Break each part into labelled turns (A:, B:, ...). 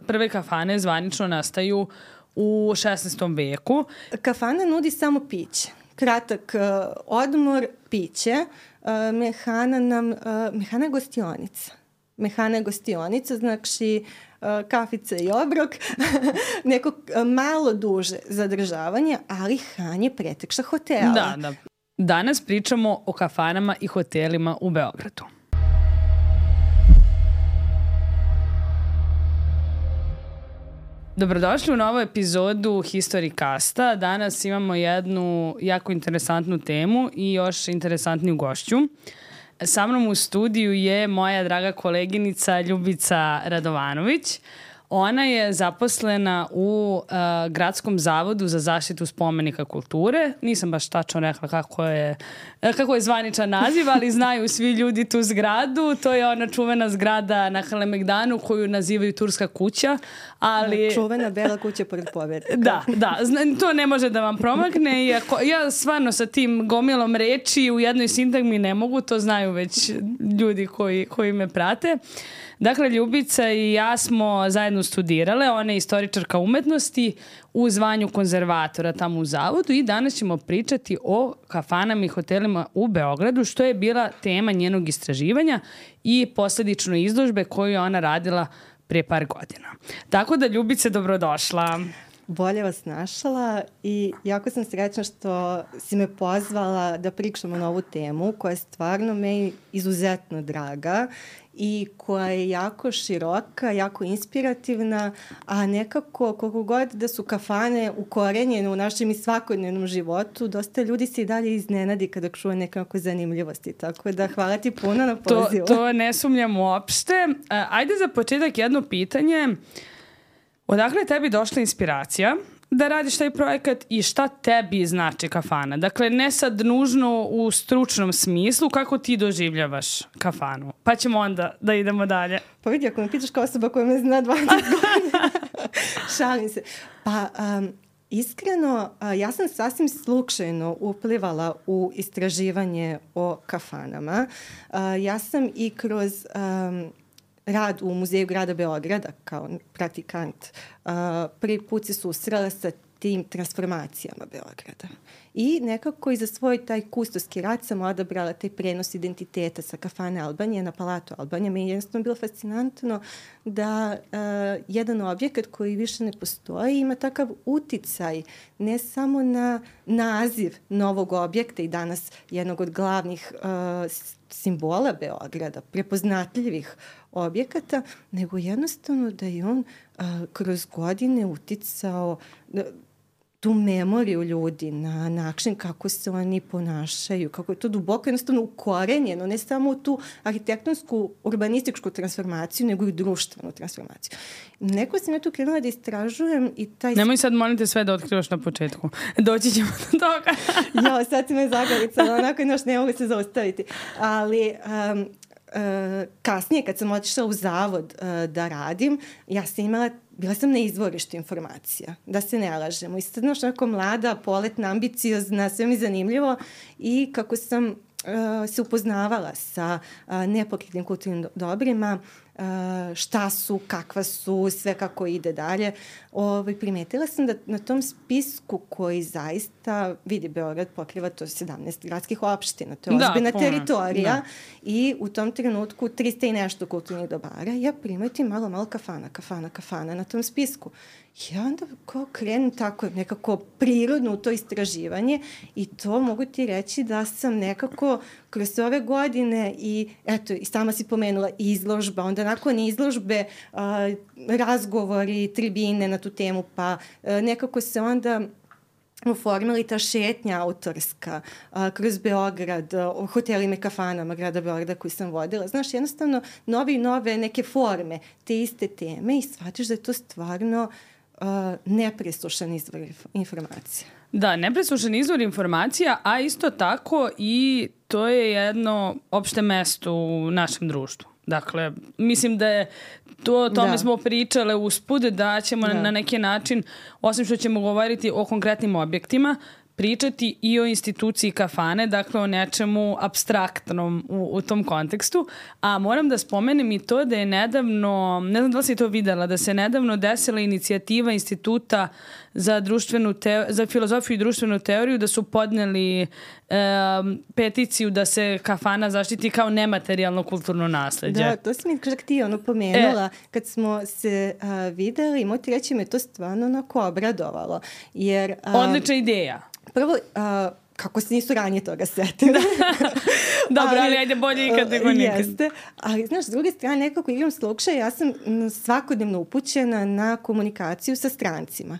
A: prve kafane zvanično nastaju u 16. veku.
B: Kafana nudi samo piće. Kratak odmor, piće. Mehana je gostionica. Mehana je gostionica, znači kafica i obrok, neko malo duže zadržavanje, ali Han je pretekša hotela.
A: Da. Danas pričamo o kafanama i hotelima u Beogradu. Dobrodošli u novu epizodu Historicasta. Danas imamo jednu jako interesantnu temu i još interesantniju gošću. Sa mnom u studiju je moja draga koleginica Ljubica Radovanović. Ona je zaposlena u Gradskom zavodu za zaštitu spomenika kulture. Nisam baš tačno rekla kako je zvaničan naziv, ali znaju svi ljudi tu zgradu. To je ona čuvena zgrada na Kalemegdanu koju nazivaju Turska kuća. Ali...
B: Čuvena bela kuća pored Povetka.
A: Da, to ne može da vam promakne. Ja stvarno sa tim gomilom reči u jednoj sintagmi ne mogu, to znaju već ljudi koji me prate. Dakle, Ljubica i ja smo zajedno studirale, ona je istoričarka umetnosti u zvanju konzervatora tamo u zavodu i danas ćemo pričati o kafanama i hotelima u Beogradu, što je bila tema njenog istraživanja i posljedično izložbe koju je ona radila pre par godina. Tako da, Ljubice, dobrodošla.
B: Bolje vas našla i jako sam srećna što si me pozvala da pričamo na ovu temu koja je stvarno meni izuzetno draga i koja je jako široka, jako inspirativna, a nekako koliko god da su kafane ukorenjene u našem i svakodnevnom životu, dosta ljudi se i dalje iznenadi kada čuje nekako zanimljivosti. Tako da hvala ti puno na pozivu.
A: To ne sumnjam uopšte. Ajde za početak jedno pitanje. Odakle je tebi došla inspiracija da radiš taj projekat i šta tebi znači kafana? Dakle, ne sad nužno u stručnom smislu, kako ti doživljavaš kafanu? Pa ćemo onda da idemo dalje.
B: Pa vidi, ako me pitaš kao osoba koja me zna 20 godina, šalim se. Pa, iskreno, ja sam sasvim slučajno uplivala u istraživanje o kafanama. Ja sam i kroz... rad u Muzeju grada Beograda kao praktikant prvi put se susrela sa tim transformacijama Beograda. I nekako i za svoj taj kustoski rad sam odabrala taj prenos identiteta sa kafane Albanije na Palatu Albanije. Meni je jednostavno bilo fascinantno da jedan objekat koji više ne postoji ima takav uticaj ne samo na naziv novog objekta i danas jednog od glavnih simbola Beograda, prepoznatljivih objekata, nego jednostavno da je on kroz godine uticao tu memoriju ljudi na način kako se oni ponašaju, kako je to duboko jednostavno ukorenjeno, ne samo u tu arhitektonsku, urbanističku transformaciju, nego i društvenu transformaciju. Neko sam ja tu krenula da istražujem i taj...
A: Nemoj sad, molim te, sve da otkrivaš na početku. Doći ćemo do toga.
B: Jo, sad si me zagavicala, onako još ne mogu se zaustaviti. Ali... kasnije kad sam otišla u zavod da radim, bila sam na izvorištu informacija, da se ne lažemo. I sad znaš, onako mlada, poletna, ambiciozna, sve mi zanimljivo i kako sam se upoznavala sa nepokretnim kulturnim dobrima, šta su, kakva su, sve kako ide dalje. Primetila sam da na tom spisku koji zaista, vidi, Beograd pokriva to 17 gradskih opština, to je ozbiljna teritorija i u tom trenutku 300 i nešto kulturnih dobara. Ja primetim malo kafana na tom spisku. I onda krenem tako nekako prirodno u to istraživanje i to mogu ti reći da sam nekako kroz ove godine i eto, i sama si pomenula izložba, onda nakon izložbe razgovori, tribine na tu temu, pa nekako se onda oformili ta šetnja autorska kroz Beograd, o hotelima i kafanama grada Beograda koji sam vodila. Znaš, jednostavno nove neke forme te iste teme i shvatiš da je to stvarno nepresušan izvor informacija.
A: Da, nepresušan izvor informacija, a isto tako i to je jedno opšte mesto u našem društvu. Dakle, mislim da je tome smo pričale usput, da ćemo na neki način, osim što ćemo govoriti o konkretnim objektima, pričati i o instituciji kafane, dakle o nečemu apstraktnom u tom kontekstu. A moram da spomenem i to da je nedavno, ne znam da li si to videla, da se nedavno desila inicijativa Instituta za filozofiju i društvenu teoriju, da su podneli peticiju da se kafana zaštiti kao nematerijalno kulturno nasleđe.
B: Da, to si mi čak ti pomenula. Kad smo se videli, moći reći me to stvarno onako obradovalo. Jer,
A: odlična ideja.
B: Prvo, kako se nisu ranije toga setili.
A: Dobro, ali ajde bolje ikad nego nikad.
B: Jeste, ali znaš, s druge strane, nekako igram slučaj, ja sam svakodnevno upućena na komunikaciju sa strancima,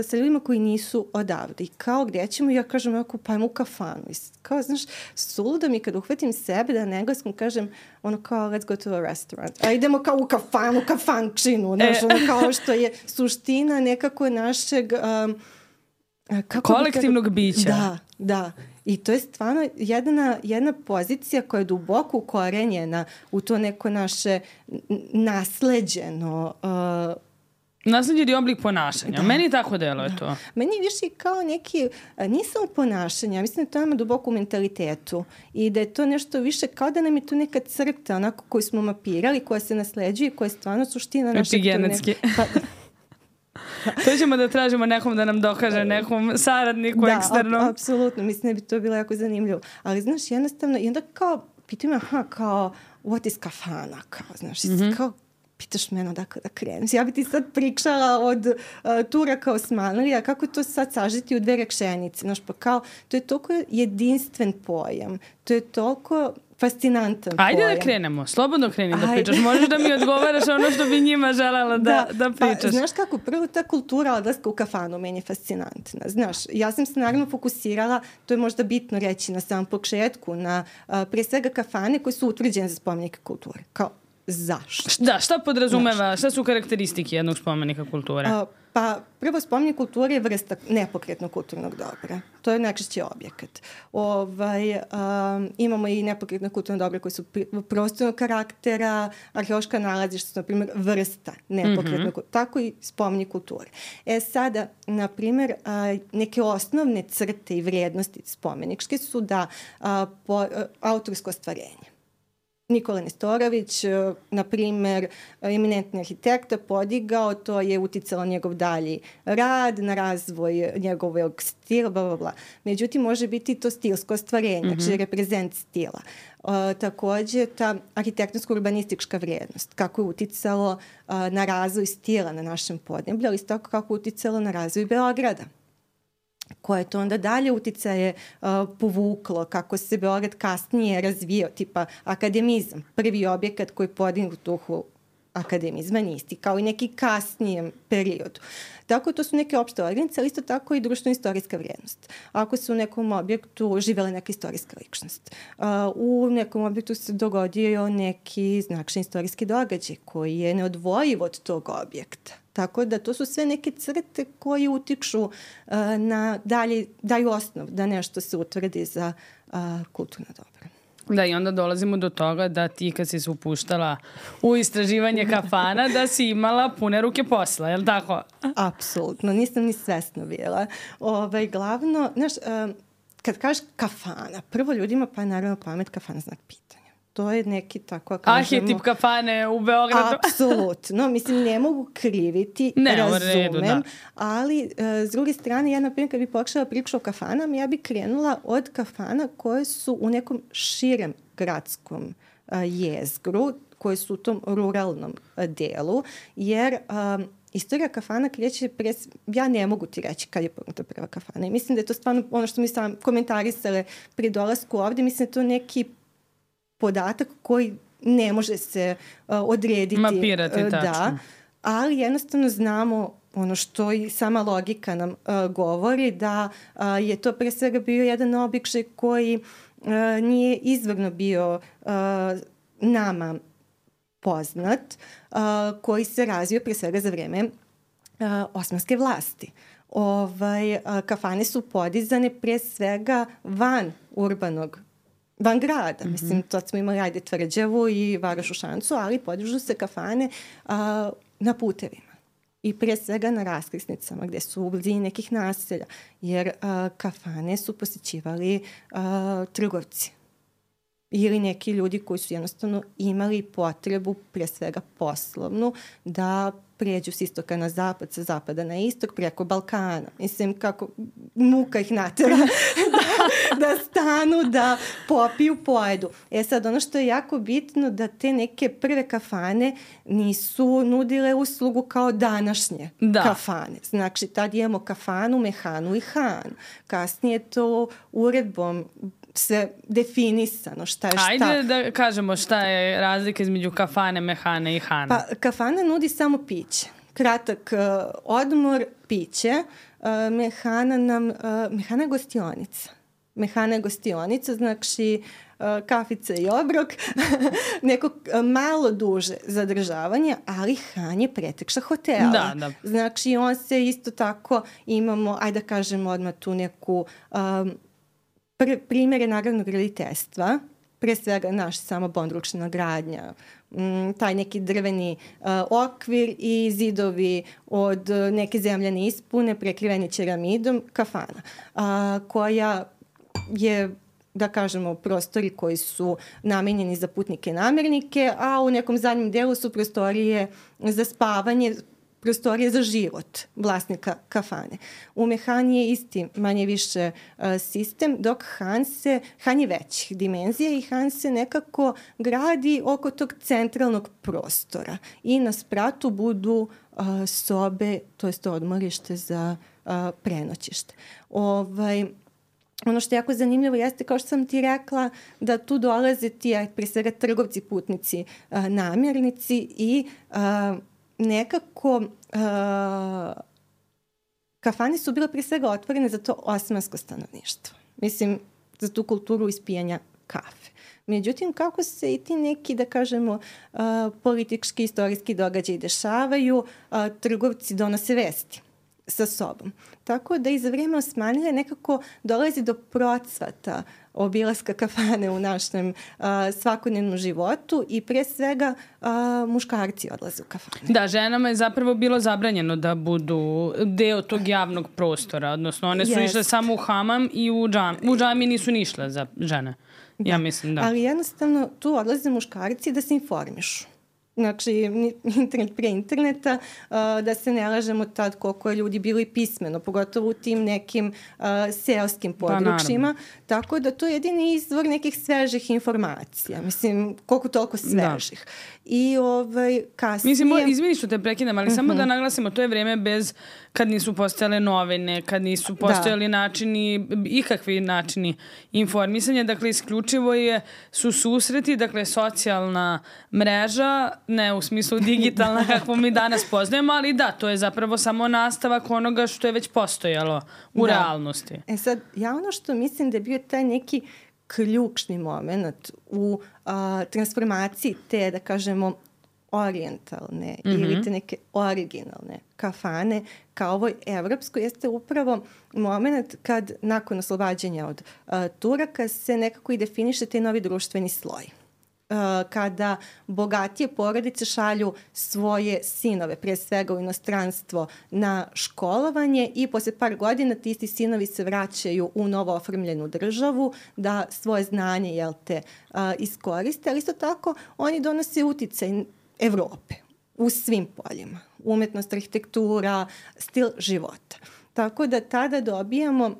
B: sa ljudima koji nisu odavde. I kao gdje ćemo, ja kažem, ako pa u kafanu. I kao, znaš, suludo mi kad uhvatim sebe da na engleskom kažem, ono kao, let's go to a restaurant. A idemo kao u kafanu, kafančinu, znaš, ono kao što je suština nekako našeg...
A: kolektivnog bića.
B: Da. I to je stvarno jedna pozicija koja je duboko ukorenjena u to neko naše nasleđeno...
A: nasleđeni oblik ponašanja. Meni tako deluje to.
B: Meni više kao neki, nije samo ponašanje, mislim da to ima duboko u mentalitetu i da je to nešto više kao da nam je tu neka crta onako koju smo mapirali, koja se nasleđuje, koja je stvarno suština našeg...
A: Epigenetski. To ćemo da tražimo nekom da nam dokaže, nekom saradniku eksternom.
B: Da, apsolutno. Mislim da bi to bilo jako zanimljivo. Ali, znaš, jednostavno, i onda kao, pitam kao, what is kafana? Kao, znaš, kao, pitaš mene odakle da krenem. Ja bi ti sad pričala od Turaka Osmanlija, kako to sad sažeti u 2 rečenice. Znaš, pa kao, to je toliko jedinstven pojam. To je toliko... fascinantan
A: Ajde
B: pojam.
A: Da krenemo, slobodno kreni da pričaš. Možeš da mi odgovaraš ono što bi njima želela da pričaš.
B: Pa, znaš kako, prvo ta kultura odlaska u kafanu meni je fascinantna. Znaš, ja sam se naravno fokusirala, to je možda bitno reći na samom početku, na pre svega kafane koje su utvrđene za spomenike kulture. Kao, zašto?
A: Da, šta podrazumeva, šta su karakteristike jednog spomenika kulture?
B: Pa prvo spomenik kulture je vrsta nepokretnog kulturnog dobra. To je najčešće objekat. Imamo i nepokretne kulturne dobra koji su prostornog karaktera, arheološka nalazišta su, na primjer, vrsta nepokretnog, tako i spomenik kulture. Sada, na primjer, neke osnovne crte i vrijednosti spomeničke su da autorsko ostvarenje. Nikola Nestorović, na primjer, eminentni arhitekta, podigao, to je uticalo njegov dalji rad, na razvoj njegovog stila, bla, bla, bla. Međutim, može biti to stilsko ostvarenje, znači reprezent stila. Također, ta arhitektonsko-urbanistička vrijednost, kako je uticalo na razvoj stila na našem podneblju, ali isto tako kako je uticalo na razvoj Beograda. Koje je to onda dalje uticaje povuklo, kako se Beograd kasnije razvio, tipa akademizam, prvi objekat koji je podignut u duhu akademizma, isti, kao i neki kasnijem periodu. Tako to su neke opšte odrednice, ali isto tako i društveno-istorijska vrijednost. Ako se u nekom objektu živela neka istorijska ličnost, u nekom objektu se dogodio neki značajan istorijski događaj koji je neodvojiv od tog objekta. Tako da to su sve neke crte koje utiču na daju osnov da nešto se utvrdi za kulturno dobro.
A: Da, i onda dolazimo do toga da ti kad si se upuštala u istraživanje kafana, da si imala pune ruke posla, je li tako?
B: Apsolutno, nisam ni svesno bila. Glavno, znaš, kad kažeš kafana, prvo ljudima pa je naravno pamet kafana znak pitanja. To je neki tako, kažemo...
A: Arhetip kafane u Beogradu.
B: Apsolutno. Mislim, ne mogu kriviti, razumem, ali s druge strane, ja, na primjer, kad bi počela priču o kafanama, ja bi krenula od kafana koje su u nekom širem gradskom jezgru, koje su u tom ruralnom delu, jer... Istorija kafana kreće ja ne mogu ti reći kad je pokrenuta prva kafana. I mislim da je to stvarno ono što mi sam komentarisale pri dolasku ovdje. Mislim da je to neki podatak koji ne može se odrediti.
A: Mapirati, tačno.
B: Da, ali jednostavno znamo ono što i sama logika nam govori, da je to pre svega bio jedan običaj koji nije izvorno bio nama poznat, koji se razvio pre svega za vreme osmanske vlasti. Kafane su podizane pre svega van grada. Mislim, to smo imali Tvrđavu i Varoš u Šancu, ali podižu se kafane na putevima. i pre svega na raskrsnicama gde su u blizini nekih naselja, jer kafane su posjećivali trgovci ili neki ljudi koji su jednostavno imali potrebu, pre svega poslovnu, da pređu s istoka na zapad, sa zapada na istok, preko Balkana. Mislim, kako muka ih natera da stanu, da popiju, pojedu. Sad, ono što je jako bitno, da te neke prve kafane nisu nudile uslugu kao današnje kafane. Znači, tad imamo kafanu, mehanu i han. Kasnije to uredbom sve definisano šta je šta.
A: Ajde da kažemo šta je razlika između kafane, mehane i hana.
B: Pa kafana nudi samo piće. Kratak odmor, piće. Mehana je gostionica. Mehana je gostionica, znači kafica i obrok, neko malo duže zadržavanje, ali han je pretekša hotela.
A: Da.
B: Znači on se isto tako imamo, ajde da kažemo odmah tu neku primjere nagradnog graditeljstva, pre svega naš samobonručna gradnja, taj neki drveni okvir i zidovi od neke zemljane ispune prekriveni ceramidom, kafana, koja je, da kažemo, prostori koji su namenjeni za putnike i namernike, a u nekom zadnjem delu su prostorije za spavanje, prostorije za život vlasnika kafane. U mehani je isti manje više sistem, dok han je većih dimenzija i han se nekako gradi oko tog centralnog prostora i na spratu budu sobe, to jest odmorište za prenoćište. Ono što je jako zanimljivo jeste, kao što sam ti rekla, da tu dolaze ti, pre svega trgovci, putnici, namjernici i nekako kafane su bile pre svega otvorene za to osmansko stanovništvo. Mislim, za tu kulturu ispijanja kafe. Međutim, kako se i ti neki, da kažemo, politički, istorijski događaji dešavaju, trgovci donose vesti sa sobom. Tako da i za vrijeme Osmanlije nekako dolazi do procvata obilaska kafane u našem svakodnevnom životu i pre svega muškarci odlaze u kafane.
A: Da, ženama je zapravo bilo zabranjeno da budu deo tog javnog prostora, odnosno one su išle samo u hamam i u džami nisu ni išle za žene. Da. Ja mislim, da.
B: Ali jednostavno tu odlaze muškarci da se informišu. Znači, internet pre interneta, da se ne lažemo tad koliko je ljudi bili pismeno, pogotovo u tim nekim seoskim područjima. Tako da to je jedini izvor nekih svežih informacija. Mislim, koliko toliko svežih. I kasnije...
A: Mislim, izvini što te prekidam, ali samo da naglasimo, to je vreme bez, kad nisu postojale novine, kad nisu postojali načini, ikakvi načini informisanja. Dakle, isključivo su susreti, dakle, socijalna mreža, ne u smislu digitalna kako mi danas poznajemo, ali da, to je zapravo samo nastavak onoga što je već postojalo u realnosti.
B: Sad, ja ono što mislim da je bio taj neki ključni moment u transformaciji te, da kažemo, orijentalne ili te neke originalne kafane kao ovoj evropskoj, jeste upravo moment kad nakon oslobađanja od Turaka se nekako i definiše taj novi društveni sloj. Kada bogatije porodice šalju svoje sinove, pre svega u inostranstvo, na školovanje i posle par godina ti isti sinovi se vraćaju u novo oformljenu državu da svoje znanje iskoriste, ali isto tako oni donose uticaj Evrope u svim poljima. Umetnost, arhitektura, stil života. Tako da tada dobijamo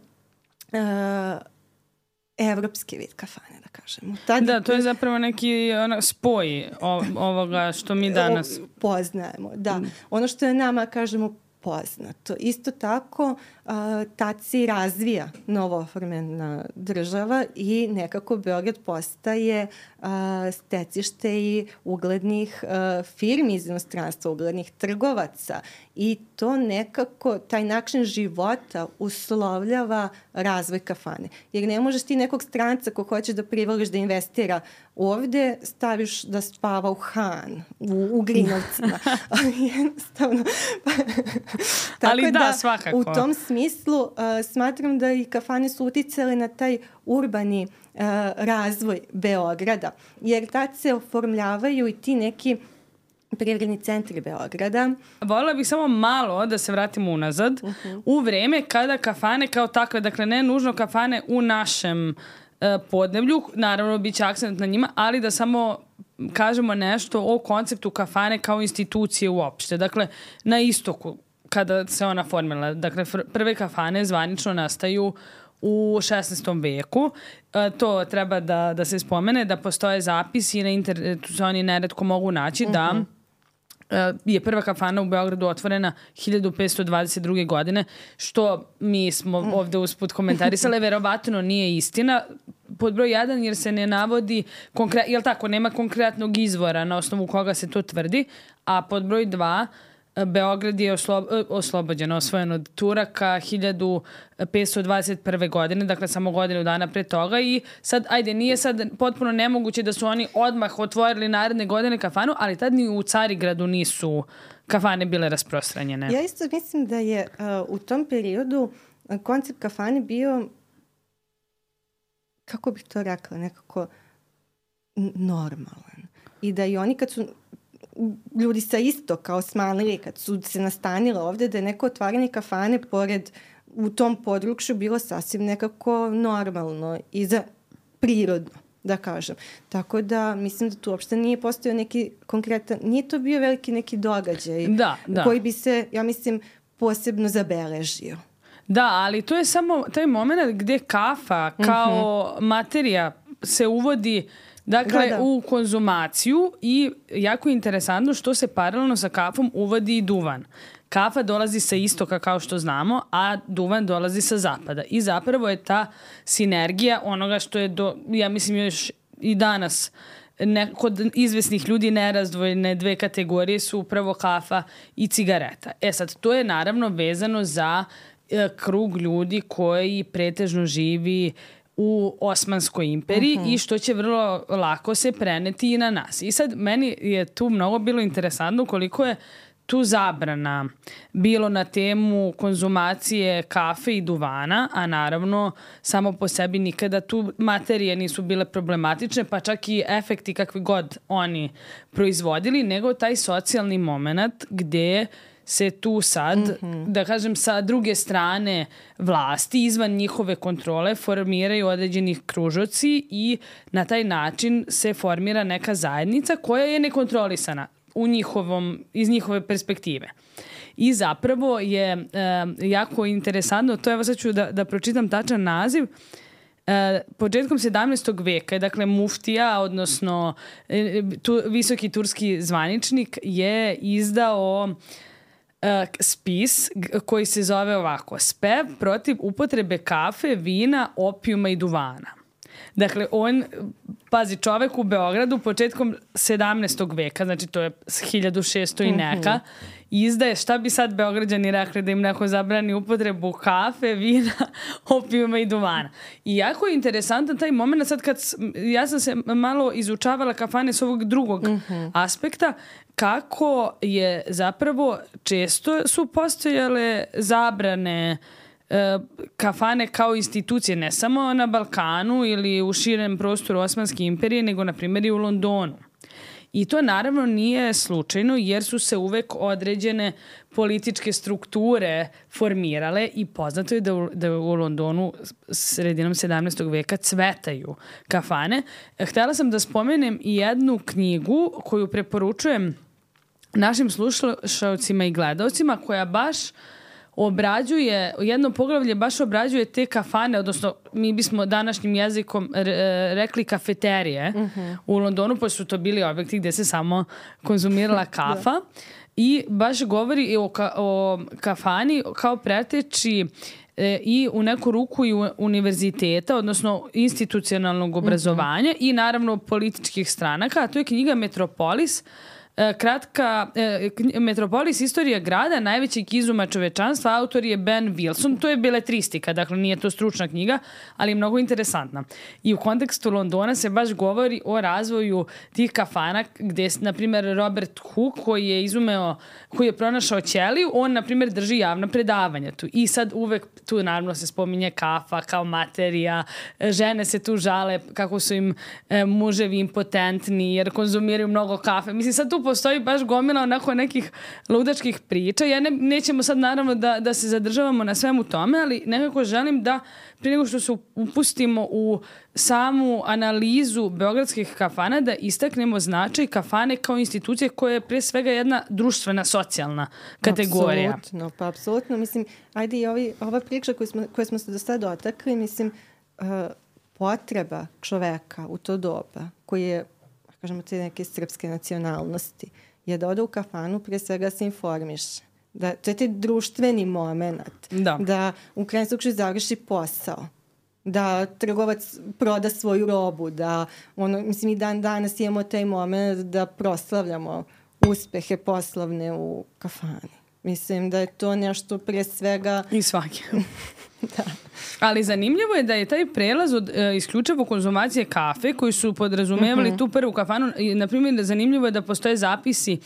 B: evropski vid kafane, da kažemo.
A: Da, to je zapravo neki spoj ovoga što mi danas
B: poznajemo. Da, ono što je nama, kažemo, poznato. Isto tako, tad se razvija novooformljena država i nekako Beograd postaje stecište i uglednih firmi iz inostranstva, uglednih trgovaca i to nekako, taj način života uslovljava razvoj kafane. Jer ne možeš ti nekog stranca ko hoćeš da privoliš da investira ovde, staviš da spava u Han, u Grinovcima. Jednostavno.
A: Ali da, svakako.
B: U tom smislu smatram da i kafane su uticale na taj urbani razvoj Beograda, jer tad se oformljavaju i ti neki privredni centri Beograda.
A: Voljela bih samo malo da se vratimo unazad. U vreme kada kafane kao takve, dakle ne nužno kafane u našem podneblju, naravno bit će akcent na njima, ali da samo kažemo nešto o konceptu kafane kao institucije uopšte. Dakle, na istoku, kada se ona formila, dakle, prve kafane zvanično nastaju u 16. veku. To treba da se spomene, da postoje zapisi i na internetu se oni neretko mogu naći da je prva kafana u Beogradu otvorena 1522. godine, što mi smo ovde usput komentarisali, verovatno nije istina. Pod broj 1 jer se ne navodi, jel tako, nema konkretnog izvora na osnovu koga se to tvrdi, a pod broj 2 Beograd je oslobođen, osvojen od Turaka 1521. godine, dakle samo godinu dana pre toga i sad, nije sad potpuno nemoguće da su oni odmah otvorili naredne godine kafanu, ali tad ni u Carigradu nisu kafane bile rasprostranjene.
B: Ja isto mislim da je u tom periodu koncept kafane bio, kako bih to rekla, nekako normalan. I da i oni kad su ljudi sa istoka osmanlili, kad su se nastanile ovde, da je neko otvaranje kafane pored u tom području bilo sasvim nekako normalno i za prirodno, da kažem. Tako da mislim da tu uopšte nije postojao neki konkretan, nije to bio veliki neki događaj koji bi se, ja mislim, posebno zabeležio.
A: Da, ali to je samo taj moment gde kafa kao materija se uvodi u konzumaciju i jako je interesantno što se paralelno sa kafom uvodi i duvan. Kafa dolazi sa istoka kao što znamo, a duvan dolazi sa zapada. I zapravo je ta sinergija onoga što je, ja mislim još i danas, kod izvesnih ljudi nerazdvojene dve kategorije su upravo kafa i cigareta. Sad, to je naravno vezano za krug ljudi koji pretežno živi u Osmanskoj imperiji i što će vrlo lako se preneti i na nas. I sad meni je tu mnogo bilo interesantno koliko je tu zabrana bilo na temu konzumacije kafe i duvana, a naravno samo po sebi nikada tu materije nisu bile problematične, pa čak i efekti kakvi god oni proizvodili, nego taj socijalni moment gde se tu sad, da kažem, sa druge strane vlasti, izvan njihove kontrole, formiraju određenih kružoci i na taj način se formira neka zajednica koja je nekontrolisana iz njihove perspektive. I zapravo je jako interesantno, to evo sad ću da pročitam tačan naziv, početkom 17. veka, dakle muftija, odnosno visoki turski zvaničnik je izdao spis koji se zove ovako: Spev protiv upotrebe kafe, vina, opijuma i duvana. Dakle, pazi, čovek u Beogradu početkom 17. veka, znači to je 1600 i neka, izdaje, šta bi sad Beograđani rekli da im neko zabrani upotrebu kafe, vina, opijuma i duvana. I jako je interesantan taj moment, sad kad ja sam se malo izučavala kafane s ovog drugog aspekta, kako je zapravo često su postojale zabrane kafane kao institucije, ne samo na Balkanu ili u širem prostoru Osmanske imperije, nego na primjer i u Londonu. I to naravno nije slučajno jer su se uvek određene političke strukture formirale i poznato je da u Londonu sredinom 17. veka cvetaju kafane. Htela sam da spomenem i jednu knjigu koju preporučujem našim slušaocima i gledaocima, koja baš obrađuje, jedno poglavlje baš obrađuje te kafane, odnosno mi bismo današnjim jezikom rekli kafeterije u Londonu, pošto su to bili objekti gde se samo konzumirala kafa. I baš govori o kafani kao preteči i u neku ruku i univerziteta, odnosno institucionalnog obrazovanja i naravno političkih stranaka. A to je knjiga Metropolis, Metropolis, istorija grada, najvećeg izuma čovečanstva. Autor je Ben Wilson. To je beletristika, dakle nije to stručna knjiga, ali je mnogo interesantna. I u kontekstu Londona se baš govori o razvoju tih kafana gde, na primjer, Robert Hooke, koji je pronašao ćeliju, on, na primjer, drži javna predavanja tu. I sad uvek tu naravno se spominje kafa kao materija, žene se tu žale kako su im muževi impotentni jer konzumiraju mnogo kafe. Mislim, sad tu postoji baš gomila onako nekih ludačkih priča. Nećemo sad naravno da se zadržavamo na svemu tome, ali nekako želim da prije nego što se upustimo u samu analizu beogradskih kafana, da istaknemo značaj kafane kao institucije koja je prije svega jedna društvena, socijalna kategorija.
B: Apsolutno. Mislim, ajde i ova priča koju smo se do sada dotakli, mislim, potreba čoveka u to doba, koji je, kažemo, te neke srpske nacionalnosti, je da ode u kafanu, prije svega se informiše. To je taj društveni moment. Da u krajnjem slučaju završi posao. Da trgovac proda svoju robu. Da, mislim, i dan danas imamo taj moment da proslavljamo uspehe poslovne u kafani. Mislim da je to nešto prije svega...
A: I svaki. Da. Ali zanimljivo je da je taj prelaz od isključivo konzumacije kafe koji su podrazumevali tu prvu kafanu. Naprimjer, zanimljivo je da postoje zapisi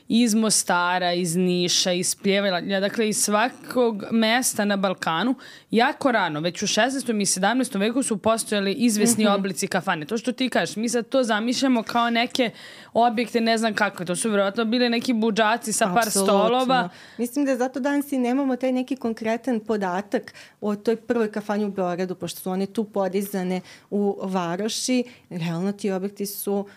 A: iz Mostara, iz Niša, iz Pljevalja, dakle iz svakog mesta na Balkanu. Jako rano, već u 16. i 17. veku su postojali izvesni oblici kafane. To što ti kažeš, mi sad to zamišljamo kao neke objekte, ne znam kako. To su vjerojatno bili neki budžaci sa par stolova.
B: Mislim da zato danas i nemamo taj neki konkretan podatak o toj prvoj kafani u Beogradu, pošto su one tu podizane u varoši. Realno ti objekti su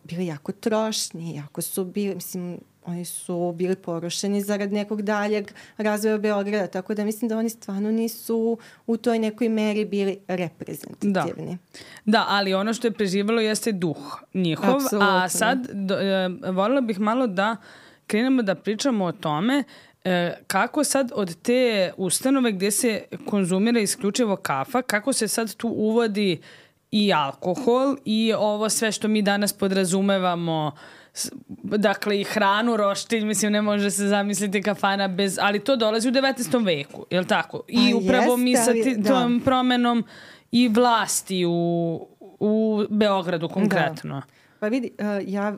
B: bili jako trošni, jako su bili, mislim, oni su bili porušeni zarad nekog daljeg razvoja Beograda, tako da mislim da oni stvarno nisu u toj nekoj meri bili reprezentativni.
A: Da, ali ono što je preživalo jeste duh njihov. Absolutno. A sad voljela bih malo da krenemo da pričamo o tome kako sad od te ustanove gdje se konzumira isključivo kafa, kako se sad tu uvodi i alkohol i ovo sve što mi danas podrazumevamo, dakle i hranu, roštilj, mislim ne može se zamisliti kafana bez, ali to dolazi u 19. veku, je li tako? I upravo mi sa tom promenom i vlasti u Beogradu konkretno.
B: Da. Pa vidi, ja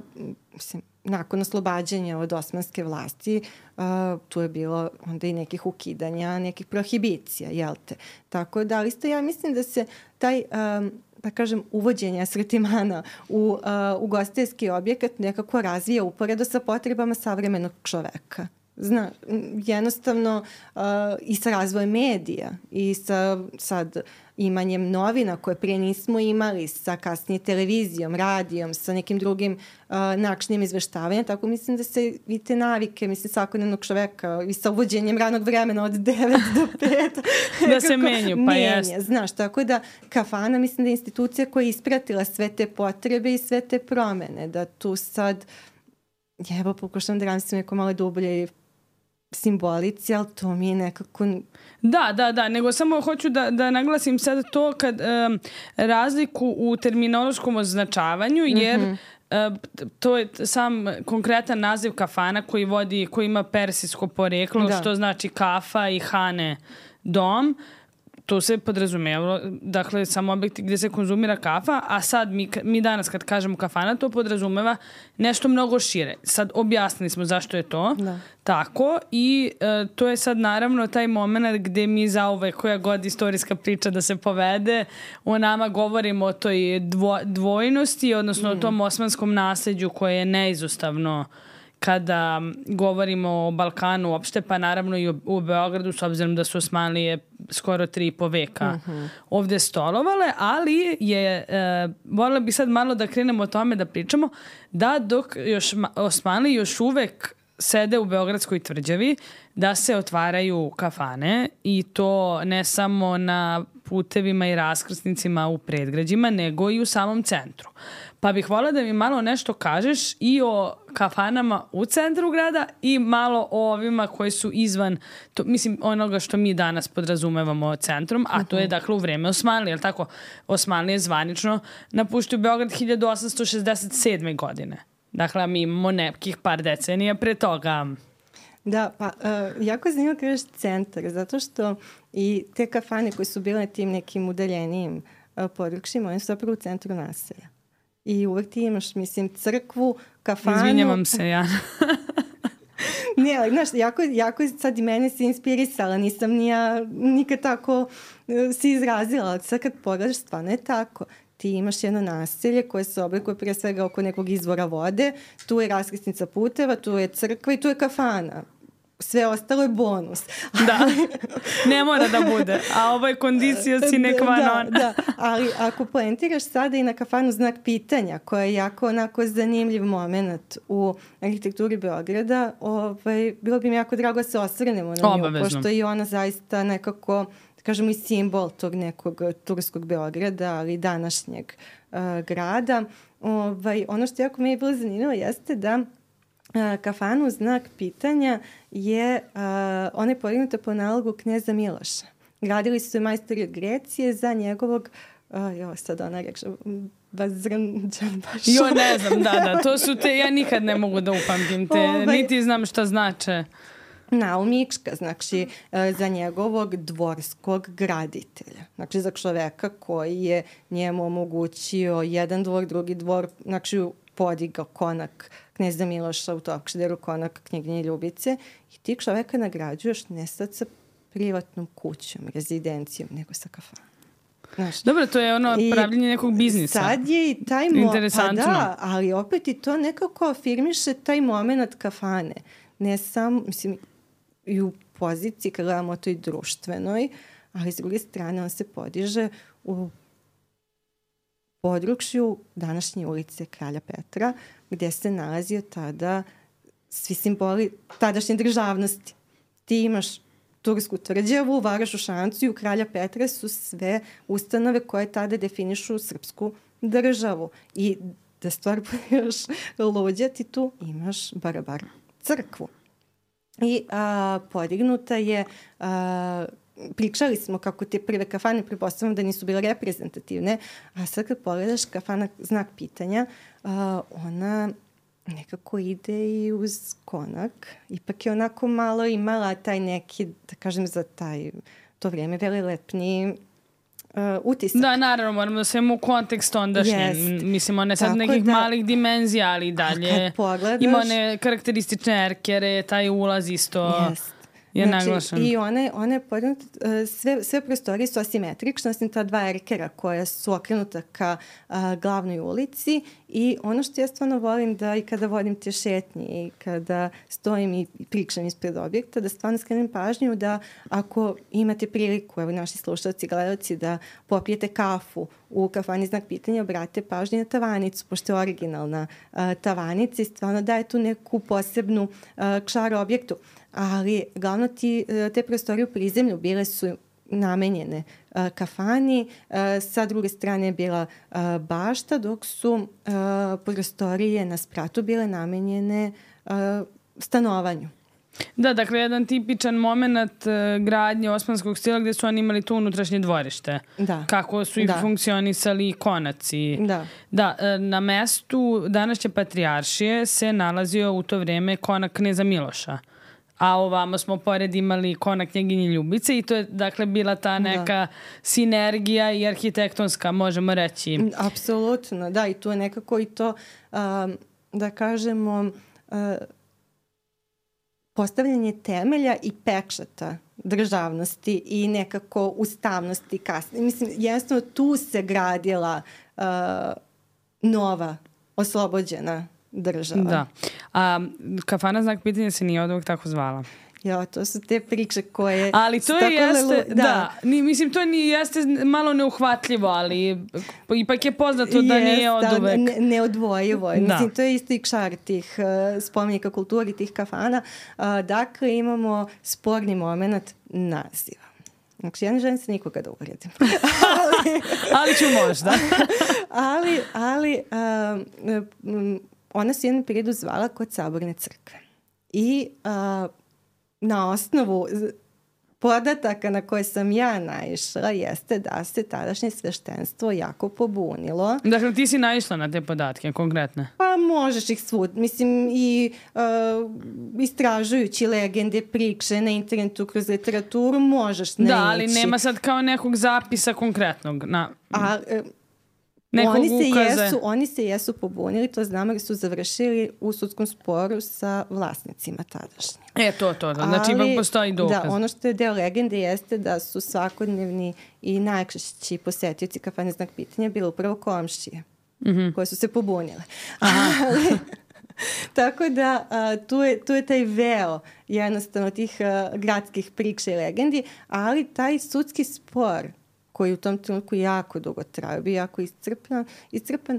B: mislim, nakon oslobađanja od osmanske vlasti, tu je bilo onda i nekih ukidanja, nekih prohibicija, jel te? Tako da, isto ja mislim da se taj... da kažem, uvođenje asortimana u ugostiteljski objekat nekako razvija uporedo sa potrebama savremenog čoveka. Jednostavno i sa razvojem medija i sa sad imanjem novina koje prije nismo imali, sa kasnije televizijom, radijom, sa nekim drugim načinim izveštavanja. Tako mislim da se i te navike, mislim, svakodnevnog čoveka i sa uvođenjem ranog vremena od 9 do 5
A: da se menju, pa jest.
B: Znaš, tako da kafana mislim da je institucija koja je ispratila sve te potrebe i sve te promene. Da tu sad, evo, pokušam da razmislim neko malo dublje simbolici, ali to mi je nekako...
A: Da, nego samo hoću da naglasim sad to kad razliku u terminološkom označavanju, jer to je sam konkretan naziv kafana koji ima persijsko poreklo, što znači kafa i hane dom. To se podrazumijevalo, dakle, samo objekti gdje se konzumira kafa, a sad mi danas kad kažemo kafana, to podrazumeva nešto mnogo šire. Sad objasnili smo zašto je to tako i to je sad naravno taj moment gdje mi zauvek koja god istorijska priča da se povede, o nama govorimo o toj dvojnosti, odnosno o tom osmanskom nasljeđu koje je neizostavno kada govorimo o Balkanu uopšte, pa naravno i u Beogradu, s obzirom da su Osmanlije skoro 3,5 veka ovdje stolovale, ali voljela bih sad malo da krenemo o tome da pričamo, da dok Osmanlije još uvek sede u Beogradskoj tvrđavi, da se otvaraju kafane i to ne samo na putevima i raskrsnicima u predgrađima, nego i u samom centru. Pa bih voljela da mi malo nešto kažeš i o kafanama u centru grada i malo o ovima koji su izvan, mislim, onoga što mi danas podrazumevamo centrom, a to je dakle u vreme Osmanlije, jel tako? Osmanlije zvanično napuštaju Beograd 1867. godine. Dakle, mi imamo nekih par decenija pre toga.
B: Da, pa jako je zanimljivo kažeš centar, zato što i te kafane koje su bile na tim nekim udaljenijim područjima, one su zapravo u centru naselja. I uvek ti imaš, mislim, crkvu, kafanu...
A: Izvinjavam se, ja.
B: Ne, ali, znaš, jako sad i mene si inspirisala, nisam nikad tako si izrazila, ali sad kad pogledaš, stvarno je tako. ti imaš jedno naselje koje se oblikuje pre svega oko nekog izvora vode, tu je raskrsnica puteva, tu je crkva i tu je kafana. Sve ostalo je bonus.
A: Da, ne mora da bude. A ovo je kondicija sine qua non.
B: Da, ali ako poentiraš sada i na kafanu Znak pitanja, koja je jako onako zanimljiv moment u arhitekturi Beograda, bilo bi mi jako drago da se osvrnemo na nju.
A: Obavezno.
B: Pošto je ona zaista nekako, da kažemo, i simbol tog nekog turskog Beograda, ali današnjeg grada. Ono što jako mi je bilo zanimljivo jeste da kafanu Znak pitanja ona je podignuta po nalogu kneza Miloša. Gradili su je majstori od Grecije za njegovog, sad ona rekla,
A: Jo, ne znam, da, to su te, ja nikad ne mogu da upamtim te, niti znam šta znače.
B: Naumnička, znači za njegovog dvorskog graditelja. Znači za čoveka koji je njemu omogućio jedan dvor, drugi dvor, znači podigao konak kneza Miloša u Topčideru, konak knjeginje Ljubice i ti čoveka nagrađuješ ne sad sa privatnom kućom, rezidencijom, nego sa kafanom. Znaš,
A: dobro, to je ono pravljenje nekog biznisa.
B: Sad je i taj
A: interesantno.
B: Pa da, ali opet i to nekako afirmiše taj moment kafane. Ne samo, mislim, i u poziciji kad gledamo to i društvenoj, ali s druge strane on se podiže u području današnje ulice Kralja Petra, gdje se nalazio tada svi simboli tadašnje državnosti. Ti imaš Tursku tvrđavu, Varošu Šancu i u Kralja Petra su sve ustanove koje tada definišu srpsku državu. I da stvar bude još luđa, ti tu imaš Barabar crkvu. I podignuta je, pričali smo kako te prve kafane, pretpostavljam da nisu bile reprezentativne, a sad kad pogledaš kafana Znak pitanja, ona nekako ide i uz konak. Ipak je onako malo imala taj neki, da kažem za to vrijeme, velelepni utisak.
A: Da, naravno, moramo da svemo u kontekst ondašnji. Mislim, one sad nekih malih dimenzija, ali i dalje. Ima one karakteristične erkere, taj ulaz isto je naglašen.
B: I one sve prostorije su asimetrične, osim ta dva erkera koja su okrenuta ka glavnoj ulici i ono što ja stvarno volim da i kada vodim te šetnje i kada stojim i pričam ispred objekta, da stvarno skrenem pažnju da ako imate priliku, evo naši slušalci, gledalci, da popijete kafu u kafani Znak pitanja, obrate pažnju na tavanicu, pošto je originalna tavanica i stvarno daje tu neku posebnu čar objektu. Ali glavno te prostorije u prizemlju bile su namenjene kafani, sa druge strane je bila bašta, dok su prostorije na spratu bile namenjene stanovanju.
A: Da, dakle, jedan tipičan moment gradnje osmanskog stila gdje su oni imali to unutrašnje dvorište.
B: Da.
A: Kako su i funkcionisali konaci.
B: Da,
A: na mestu današnje patrijaršije se nalazio u to vrijeme konak kneza Miloša. A ovamo smo pored imali konak knjeginje Ljubice i to je dakle bila ta neka sinergija i arhitektonska, možemo reći.
B: Apsolutno, da, i tu je nekako i to, da kažemo, postavljanje temelja i pečata državnosti i nekako ustavnosti kasnije. Mislim, jednostavno tu se gradila nova, oslobođena država.
A: Da. A kafana Znak pitanja se nije od uvijek tako zvala.
B: Ja, to su te priče koje...
A: Ali to jeste, mislim, to jeste malo neuhvatljivo, ali ipak je poznato da nije od uvek.
B: Neodvojivo. Mislim, to je isto i čar tih spomenika kulturi, tih kafana. Dakle, imamo sporni moment naziva. Znači, ja ne želim se nikoga da uvredim.
A: Ali ću možda.
B: ali ona se jednom periodu zvala kod Saborne crkve. I na osnovu podataka na koje sam ja naišla jeste da se tadašnje sveštenstvo jako pobunilo.
A: Dakle, ti si naišla na te podatke, konkretne?
B: Pa možeš ih svud. Mislim, i istražujući legende, priče na internetu, kroz literaturu, možeš naići.
A: Da, ali nema sad kao nekog zapisa konkretnog. nekog ukaze.
B: Oni se jesu pobunili, to znamo jer su završili u sudskom sporu sa vlasnicima tadašnjim.
A: To. Znači, ipak postoji dokaz.
B: Da, ono što je deo legende jeste da su svakodnevni i najčešći posetioci kafane Znak pitanja bili upravo komšije koje su se pobunile. Tako da tu je taj veo jednostavno tih gradskih priča i legendi, ali taj sudski spor koji u tom trenutku jako dugo traju, bio jako iscrpan,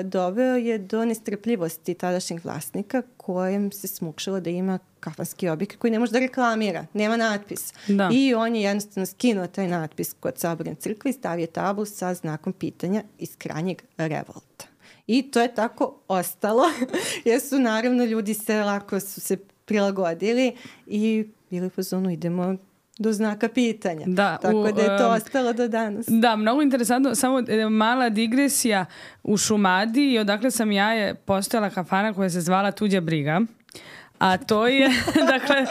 B: doveo je do nestrpljivosti tadašnjih vlasnika kojem se smukšalo da ima kafanski objekt koji ne može da reklamira, nema natpis.
A: Da.
B: I on je jednostavno skinuo taj natpis kod Saborne crkve i stavio tablu sa znakom pitanja iz krajnjeg revolta. I to je tako ostalo, jer su naravno ljudi lako su se prilagodili i bili po zonu idemo do znaka pitanja.
A: Da,
B: tako da je to ostalo do danas.
A: Da, mnogo interesantno. Samo mala digresija. U Šumadiji, odakle sam ja, je postojala kafana koja se zvala Tuđa briga. A to je, dakle,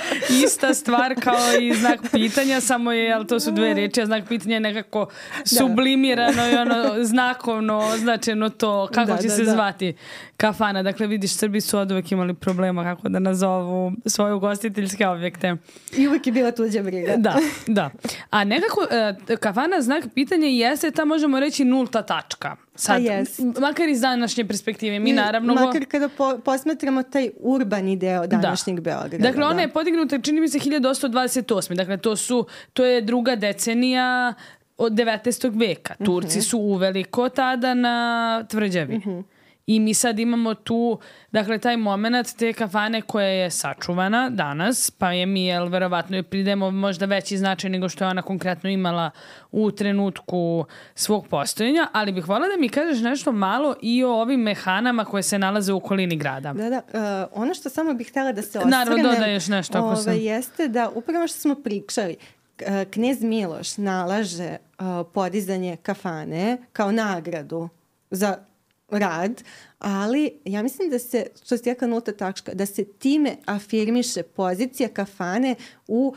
A: ista stvar kao i znak pitanja, samo je, ali to su dve reči, a znak pitanja je nekako sublimirano i znakovno označeno to kako će se zvati kafana. Dakle, vidiš, Srbi su od uvek imali problema kako da nazovu svoje ugostiteljske objekte.
B: I uvek je bila tuđa briga.
A: Da. A nekako, kafana znak pitanja jeste ta, možemo reći, nulta tačka. Sad, makar iz današnje perspektive. Mi naravno...
B: Makar kada posmatramo taj urbani deo današnjeg Beograda.
A: Dakle, ona je podignuta, čini mi se, 1828. Dakle, to je druga decenija od 19. veka. Turci su uveliko tada na tvrđavi. I mi sad imamo tu, dakle, taj moment te kafane koja je sačuvana danas, pa je mi, verovatno, pridemo možda veći značaj nego što je ona konkretno imala u trenutku svog postojanja, ali bih voljela da mi kažeš nešto malo i o ovim mehanama koje se nalaze u okolini grada.
B: Da. Ono što samo bih htjela da se osvrnem,
A: naravno, dodaješ nešto ako sam.
B: Jeste da upravo što smo pričali, knez Miloš nalaže podizanje kafane kao nagradu za rad, ali ja mislim da se, što se jaka nulta tačka, da se time afirmiše pozicija kafane u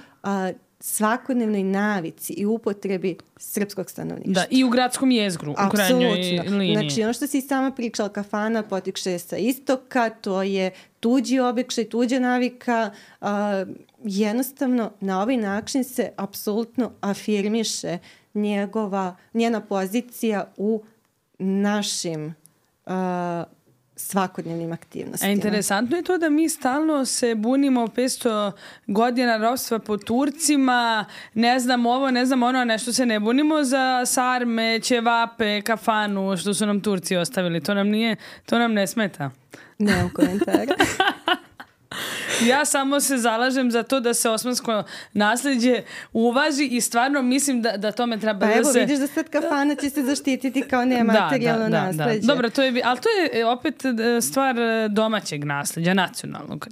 B: svakodnevnoj navici i upotrebi srpskog stanovništva.
A: Da, i u gradskom jezgru, u krajnjoj liniji.
B: Znači, ono što si sama pričala, kafana potiče sa istoka, to je tuđi običaj, tuđa navika, jednostavno na ovaj način se apsolutno afirmiše njena pozicija u našim svakodnevnim aktivnostima.
A: Interesantno je to da mi stalno se bunimo 500 godina ropstva po Turcima, ne znam ovo, ne znam ono, nešto se ne bunimo za sarme, ćevape, kafanu, što su nam Turci ostavili. To nam ne smeta.
B: Nemam komentara.
A: Ja samo se zalažem za to da se osmansko nasleđe uvaži i stvarno mislim da tome treba da se...
B: Pa evo, vidiš da sad kafana će se zaštititi kao nematerijalno nasleđe.
A: Dobro, ali to je opet stvar domaćeg nasleđa, nacionalnog.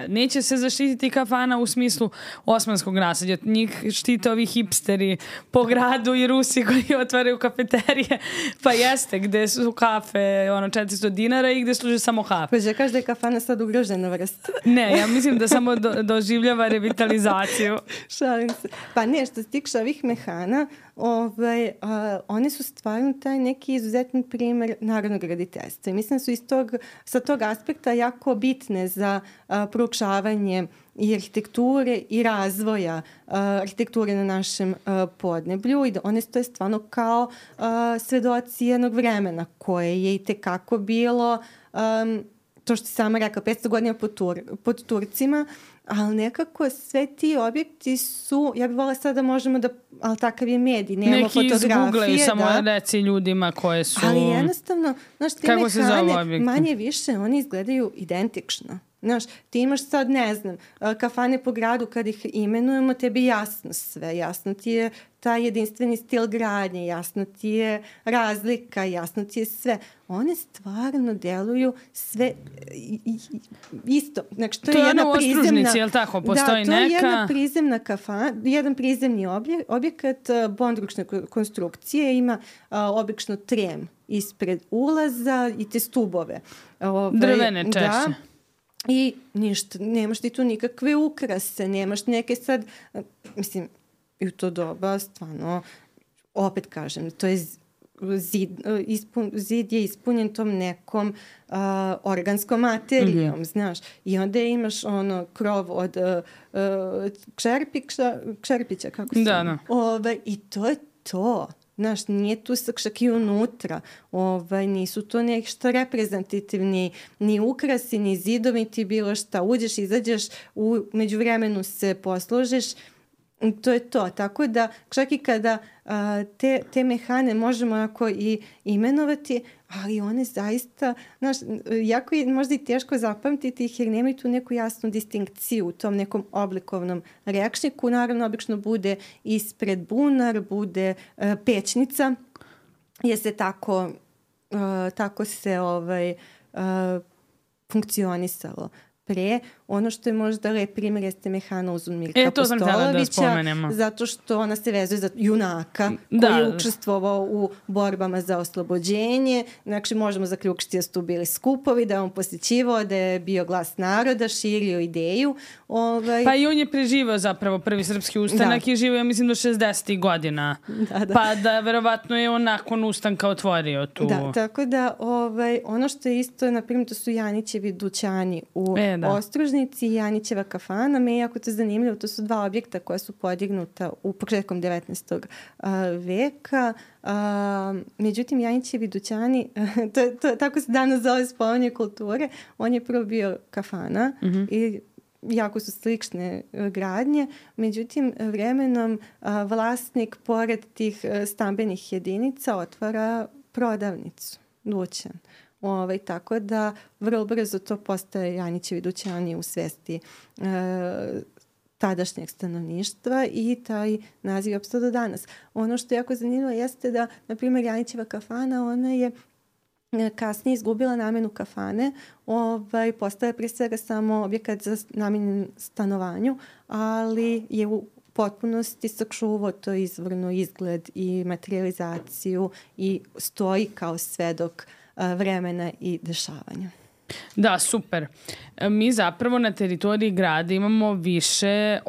A: Neće se zaštititi kafana u smislu osmanskog nasleđa. Njih štite ovi hipsteri po gradu i Rusi koji otvaraju kafeterije. Pa jeste, gde su kafe 400 dinara i gde služe samo kafe.
B: Pa kažeš da je kafana sad ugrožena vrsta.
A: Ne, ja mislim da samo doživljava revitalizaciju.
B: Šalim se. Pa ne, što se tiče ovih mehana, one su stvarno taj neki izuzetan primjer narodnog graditeljstva. I mislim da su sa tog aspekta jako bitne za proučavanje i arhitekture i razvoja arhitekture na našem podneblju i da one stoje stvarno kao svedoci jednog vremena koje je i tekako bilo... to što si sama rekao, 500 godina pod Turcima, ali nekako sve ti objekti su, ja bih volila sad da možemo da, ali takav je medij, nemamo fotografije.
A: Neki izgooglaju, samo reci ljudima koje su...
B: Ali jednostavno, znaš, te mehane, manje više, oni izgledaju identično. Znaš, ti imaš sad, ne znam, kafane po gradu kad ih imenujemo, tebi jasno sve, jasno ti je taj jedinstveni stil gradnje, jasno ti je razlika, jasno ti je sve. One stvarno deluju sve isto. Znači, to je jedna
A: ono u Ostružnici, je li tako? Postoji
B: neka... Da, to je jedna prizemna kafana, jedan prizemni objekat bondručne konstrukcije, ima obično trem ispred ulaza i te stubove.
A: Drvene češće. Da.
B: I ništa, nemaš ti tu nikakve ukrase, nemaš neke sad, mislim, i u to doba stvarno, opet kažem, to je zid je ispunjen tom nekom organskom materijom, znaš. I onda imaš krov od kšerpića, kako se...
A: Da.
B: I to je to. Znaš, nije tu čak i unutra. Nisu to nešto reprezentativni ni ukrasi, ni zidovi, ti bilo šta. Uđeš, izađeš, u međuvremenu se posložiš. To je to. Tako da čak i kada te mehane možemo onako i imenovati, ali one zaista, znaš, jako je možda i teško zapamtiti ih jer nemaju tu neku jasnu distinkciju u tom nekom oblikovnom rečniku. Naravno, obično bude ispred bunar, bude pećnica, jer se tako se funkcionisalo pre. Ono što je možda lep primjer jeste mehana Uzunmirka Postolovića, zato što ona se vezuje za junaka koji je učestvovao u borbama za oslobođenje. Znači, možemo zaključiti da su tu bili skupovi, da je on posjećivao, da je bio glas naroda, širio ideju.
A: Pa i on je preživao zapravo prvi srpski ustanak i živio, ja mislim, do 60. godina. Pa da verovatno je on nakon ustanka otvorio tu.
B: Da, tako da ono što je isto, na primjer, to su Janićevi dućani u Ostružnici i Janićeva kafana. Me je jako to zanimljivo. To su dva objekta koja su podignuta u početkom 19. veka. Međutim, Janićevi dućani, tako se danas zove spomenje kulture, on je prvo bio kafana i jako su slične gradnje. Međutim, vremenom vlasnik pored tih stambenih jedinica otvara prodavnicu, dućan. Tako da vrlo brzo to postaje Janićevi dućani u svesti tadašnjeg stanovništva i taj naziv je opstao do danas. Ono što je jako zanimljivo jeste da, na primjer, Janićeva kafana, ona je kasnije izgubila namenu kafane, postaje pre svega samo objekat za namenjen stanovanju, ali je u potpunosti sačuvao to izvorno izgled i materializaciju i stoji kao svedok vremena i dešavanja.
A: Da, super. Mi zapravo na teritoriji grada imamo više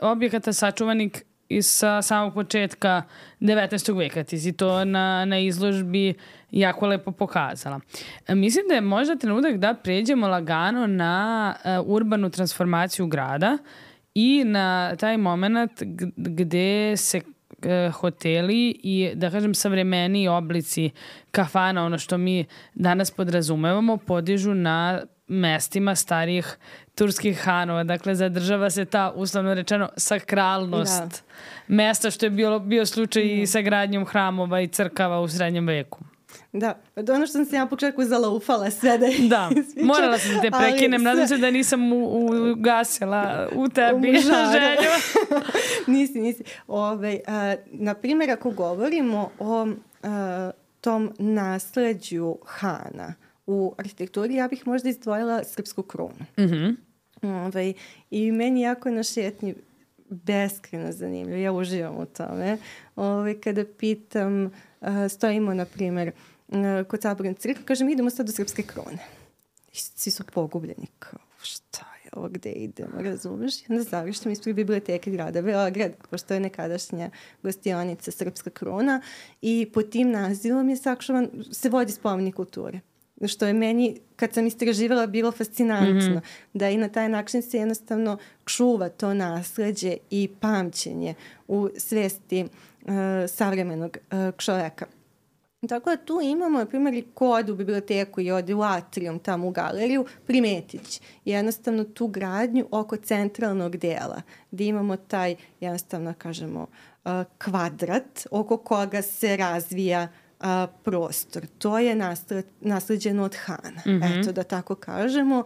A: objekata sačuvanih sa samog početka 19. veka. Ti si to na izložbi jako lepo pokazala. Mislim da je možda trenutak da pređemo lagano na urbanu transformaciju grada i na taj moment gde se hoteli i, da kažem, savremeniji oblici kafana, ono što mi danas podrazumevamo, podižu na mestima starijih turskih hanova. Dakle, zadržava se ta, uslovno rečeno, sakralnost mesta, što je bio slučaj i sa gradnjom hramova i crkava u srednjem veku.
B: Da, ono što sam se ja početku zalaufala sve da je...
A: Da, morala sam da te prekinem, nadam se da nisam ugasila u tebi želju.
B: Nisi. Na primjer, ako govorimo o tom nasleđu hana u arhitekturi, ja bih možda izdvojila srpsku krunu. I meni jako na šetnji beskreno zanimljivo, ja uživam u tome. Kada pitam, stojimo, na primjer, kod Saborne crkve, kažem, idemo sad do srpske krune. I svi su pogubljeni, kao, šta je ovo, gde idemo, razumeš? I onda završim ispred biblioteke grada Beograd, pošto je nekadašnja gostionica Srpska kruna, i po tim nazivom je sačuvan, se vodi spomenik kulture. Što je meni, kad sam istraživala, bilo fascinantno. Da i na taj način se jednostavno čuva to nasleđe i pamćenje u svesti savremenog čoveka. Tako da tu imamo, na primjer, ko ode u biblioteku i ode u atrium, tamo u galeriju, primetit jednostavno tu gradnju oko centralnog dela, gdje imamo taj, jednostavno, kažemo, kvadrat oko koga se razvija prostor. To je nasleđeno od hana. Eto, da tako kažemo.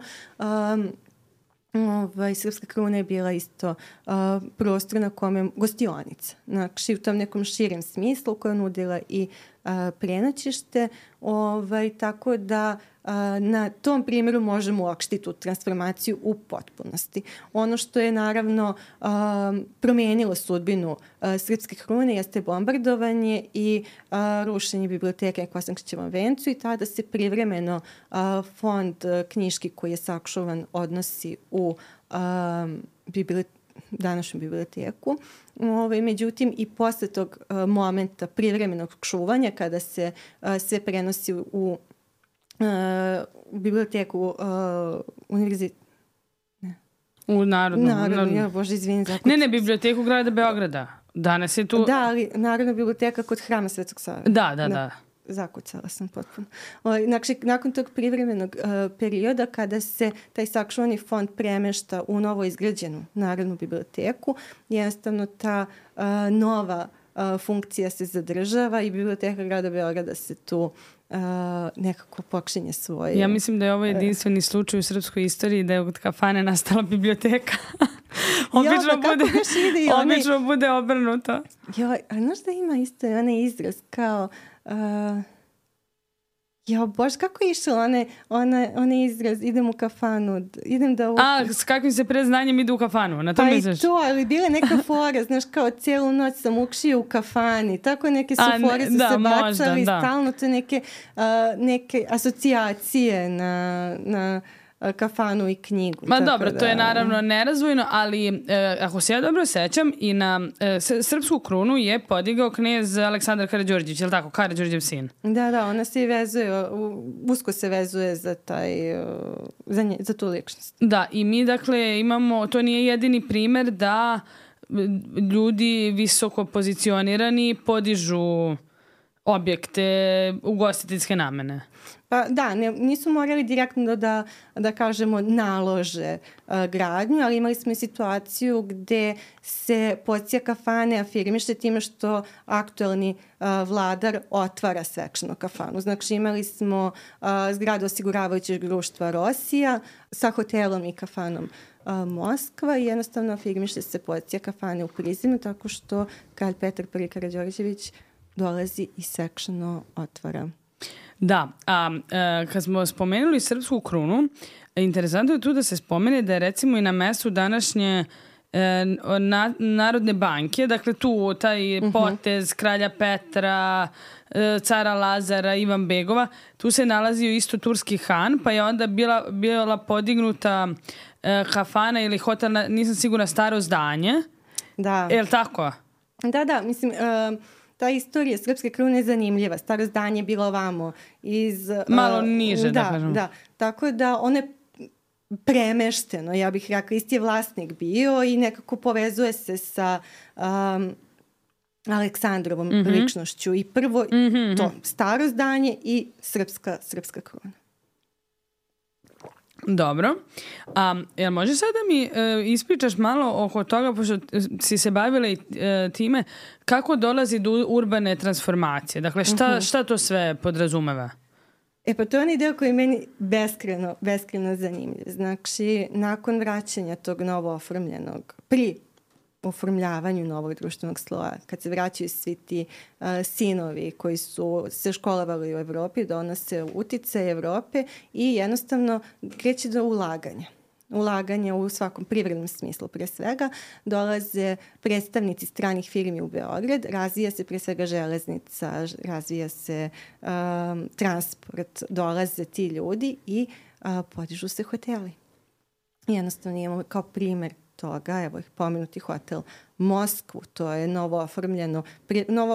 B: Srpska kruna je bila isto prostor na kome gostionica. Znači, u tom nekom širem smislu koja je nudila i prenoćište. Tako da na tom primjeru možemo uopštiti tu transformaciju u potpunosti. Ono što je naravno promijenilo sudbinu Srpske krune jeste bombardovanje i rušenje biblioteke na Kosančićevom vencu i tada se privremeno fond knjiški koji je sačuvan odnosi u današnju biblioteku. Međutim, i posle tog momenta privremenog čuvanja, kada se sve prenosi u biblioteku univerziteta.
A: U
B: Narodnu, ja bože, izvini.
A: Ne, biblioteku grada Beograda. Danas je tu...
B: Da, ali Narodna biblioteka kod Hrama Svetog Save.
A: Da.
B: Zakucala sam potpuno. Znači, nakon tog privremenog perioda, kada se taj sačuvani fond premešta u novo izgrađenu Narodnu biblioteku, jednostavno ta nova funkcija se zadržava i biblioteka grada Beograda se tu nekako počinje svoje...
A: Ja mislim da je ovo jedinstveni slučaj u srpskoj istoriji da je od kafane nastala biblioteka. Obično bude obrnuto.
B: A znaš da ima isto onaj izraz kao... Bože, kako je išao onaj izraz, idem u kafanu, idem da...
A: S kakvim se preznanjem ide u kafanu, na to misliš?
B: Pa i to, ali bila neka fora, znaš, kao cijelu noć sam ukšio u kafani, tako neke su fore su se bacali, stalno to neke asocijacije na kafanu i knjigu.
A: Ma dobro, to je naravno nerazvojno, ali ako se ja dobro sećam, i na srpsku krunu je podigao knez Aleksandar Karađorđević, je li tako? Karađorđev sin.
B: Da, ona se i vezuje, usko se vezuje za za tu ličnost.
A: Da, i mi dakle imamo, to nije jedini primer da ljudi visoko pozicionirani podižu objekte ugostiteljske namene.
B: Pa da, nisu morali direktno da kažemo nalože gradnju, ali imali smo i situaciju gde se pozicija kafane afirmiše time što aktuelni vladar otvara svečano kafanu. Znači imali smo zgradu osiguravajućeg društva Rosija sa hotelom i kafanom Moskva i jednostavno afirmiše se pozicija kafane u Prizinu tako što kralj Petar I. Karađorđević dolazi i svečano otvara.
A: Da, kad smo spomenuli srpsku krunu, interesantno je tu da se spomene da je recimo i na mestu današnje Narodne banke, dakle tu taj potez kralja Petra, cara Lazara, Ivan Begova, tu se nalazio isto turski han, pa je onda bila podignuta kafana ili hotel, nisam sigurna, staro zdanje.
B: Da.
A: Je li tako?
B: Da, mislim... Ta istorija srpske krune je zanimljiva. Staro zdanje je bilo ovamo
A: malo niže, da kažem.
B: Da, tako da ono je premešteno, ja bih rekla, isti je vlasnik bio i nekako povezuje se sa Aleksandrovom ličnošću. I prvo to staro zdanje i srpska kruna.
A: Dobro. Jel možeš sad da mi ispričaš malo oko toga, pošto si se bavila i time, kako dolazi do urbane transformacije? Dakle, šta to sve podrazumeva?
B: Pa to je onaj deo koji je meni beskreno zanimljiv. Znači, nakon vraćanja tog novo oformljenog, pri oformljavanju novog društvenog sloja, kad se vraćaju svi ti sinovi koji su se školovali u Evropi, donose uticaje Evrope i jednostavno kreće do ulaganja u svakom privrednom smislu pre svega. Dolaze predstavnici stranih firmi u Beograd, razvija se pre svega železnica, razvija se transport, dolaze ti ljudi i podižu se hoteli. Jednostavno imamo kao primer toga, evo ih pomenuti hotel Moskvu, to je novo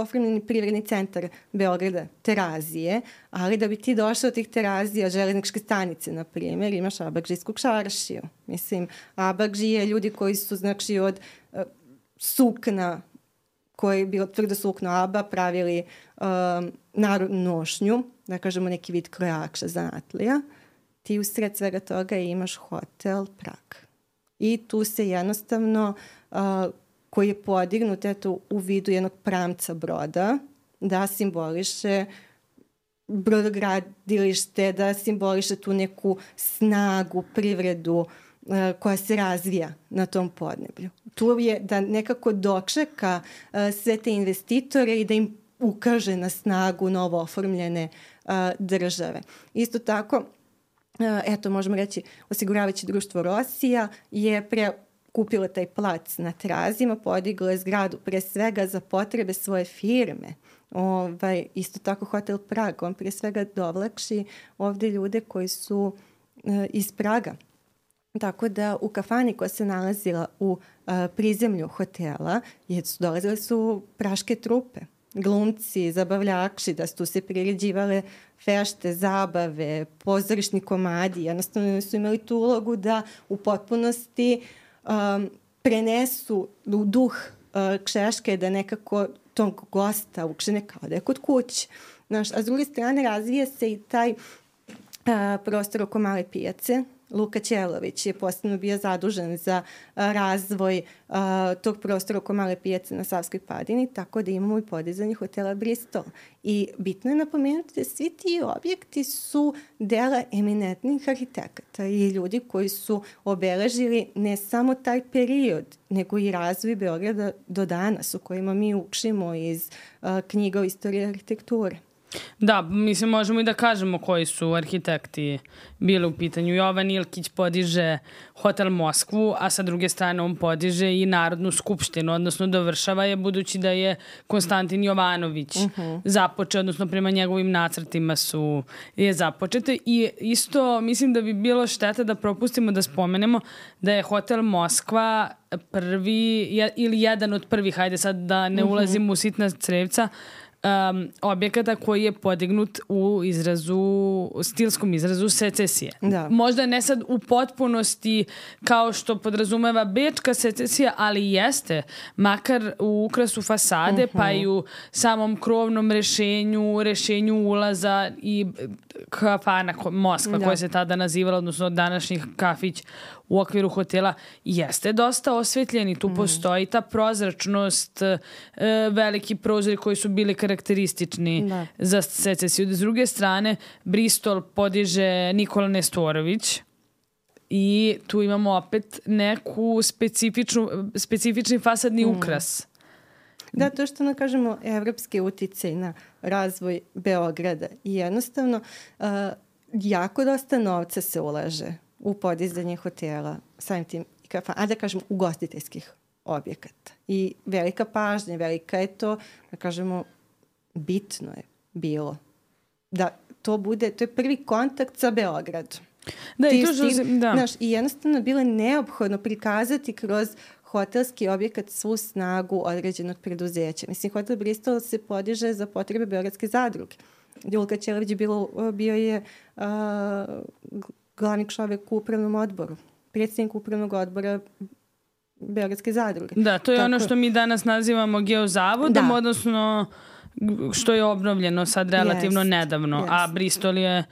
B: oformljeni privredni centar Beograda, Terazije, ali da bi ti došao od tih Terazija, železničke stanice, na primjer, imaš Abakžijsku čaršiju. Mislim, Abakžije, ljudi koji su, znači, od sukna, koji je bilo tvrdo sukno Aba, pravili narodnu nošnju, da kažemo neki vid krojača, zanatlija. Ti usred svega toga imaš hotel Prag. I tu se jednostavno, koji je podignut u vidu jednog pramca broda, da simboliše brodogradilište, da simboliše tu neku snagu, privredu koja se razvija na tom podneblju. Tu je da nekako dočeka sve te investitore i da im ukaže na snagu novo oformljene države. Isto tako, možemo reći, osiguravajuće društvo Rosija je kupilo taj plac na Terazijama, podiglo je zgradu pre svega za potrebe svoje firme. Isto tako hotel Prag, on pre svega dovlači ovde ljude koji su iz Praga. Tako da u kafani koja se nalazila u prizemlju hotela dolazile su praške trupe, glumci, zabavljači, da su se priređivale fešte, zabave, pozorišni komadi. Jednostavno su imali tu ulogu da u potpunosti prenesu duh Češke, da nekako tog gosta ukšene kao da je kod kuće. A s druge strane razvija se i taj prostor oko Male pijace. Luka Ćelović je posebno bio zadužen za razvoj tog prostora oko Male pijace na Savskoj padini, tako da imamo i podizanje hotela Bristol. I bitno je napomenuti da svi ti objekti su dela eminentnih arhitekata i ljudi koji su obeležili ne samo taj period, nego i razvoj Beograda do danas, u kojima mi učimo iz knjiga o istoriji arhitekture.
A: Da, mislim, možemo i da kažemo koji su arhitekti bili u pitanju. Jovan Ilkić podiže hotel Moskvu, a sa druge strane on podiže i Narodnu skupštinu, odnosno dovršava je, budući da je Konstantin Jovanović započeo, odnosno prema njegovim nacrtima je započete. I isto mislim da bi bilo šteta da propustimo da spomenemo da je hotel Moskva prvi ili jedan od prvih, hajde sad da ne ulazimo u sitna crevca, objekata koji je podignut u stilskom izrazu secesije.
B: Da.
A: Možda ne sad u potpunosti kao što podrazumeva bečka secesija, ali jeste, makar u ukrasu fasade, pa i u samom krovnom rešenju ulaza i kafana Moskva, koja se tada nazivala, odnosno današnji kafić u okviru hotela, jeste dosta osvetljen i tu postoji ta prozračnost, veliki prozori koji su bili karakteristični za secesiju. S druge strane, Bristol podiže Nikola Nestorović i tu imamo opet neku specifični fasadni ukras.
B: Da, to što kažemo evropski uticaj na razvoj Beograda i jednostavno jako dosta novca se ulaže u podizanje hotela, samim tim i kafana, a da kažemo ugostiteljskih objekata. I velika pažnja, velika je to, da kažemo, bitno je bilo da to bude, to je prvi kontakt sa Beogradom.
A: Da,
B: I jednostavno bilo je neophodno prikazati kroz hotelski objekat svu snagu određenog preduzeća. Mislim, hotel Bristol se podiže za potrebe Beogradske zadruge. Julka Ćelović bio je glavni čovjek u upravnom odboru, predsjednik upravnog odbora Beogradske zadruge.
A: Da, to je ono što mi danas nazivamo geozavodom, odnosno što je obnovljeno sad relativno nedavno, a Bristol je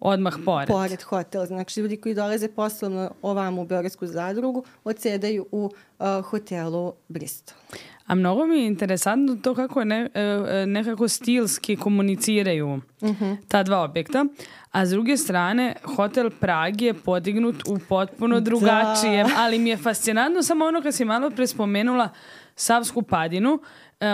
A: odmah pored.
B: Pored hotel. Znači, ljudi koji dolaze poslovno ovamo u Beogradsku zadrugu odsedaju u hotelu Bristol.
A: A mnogo mi je interesantno to kako nekako stilski komuniciraju ta dva objekta. A s druge strane, hotel Prag je podignut u potpuno drugačijem, ali mi je fascinantno samo ono kad si malo pre spomenula Savsku padinu.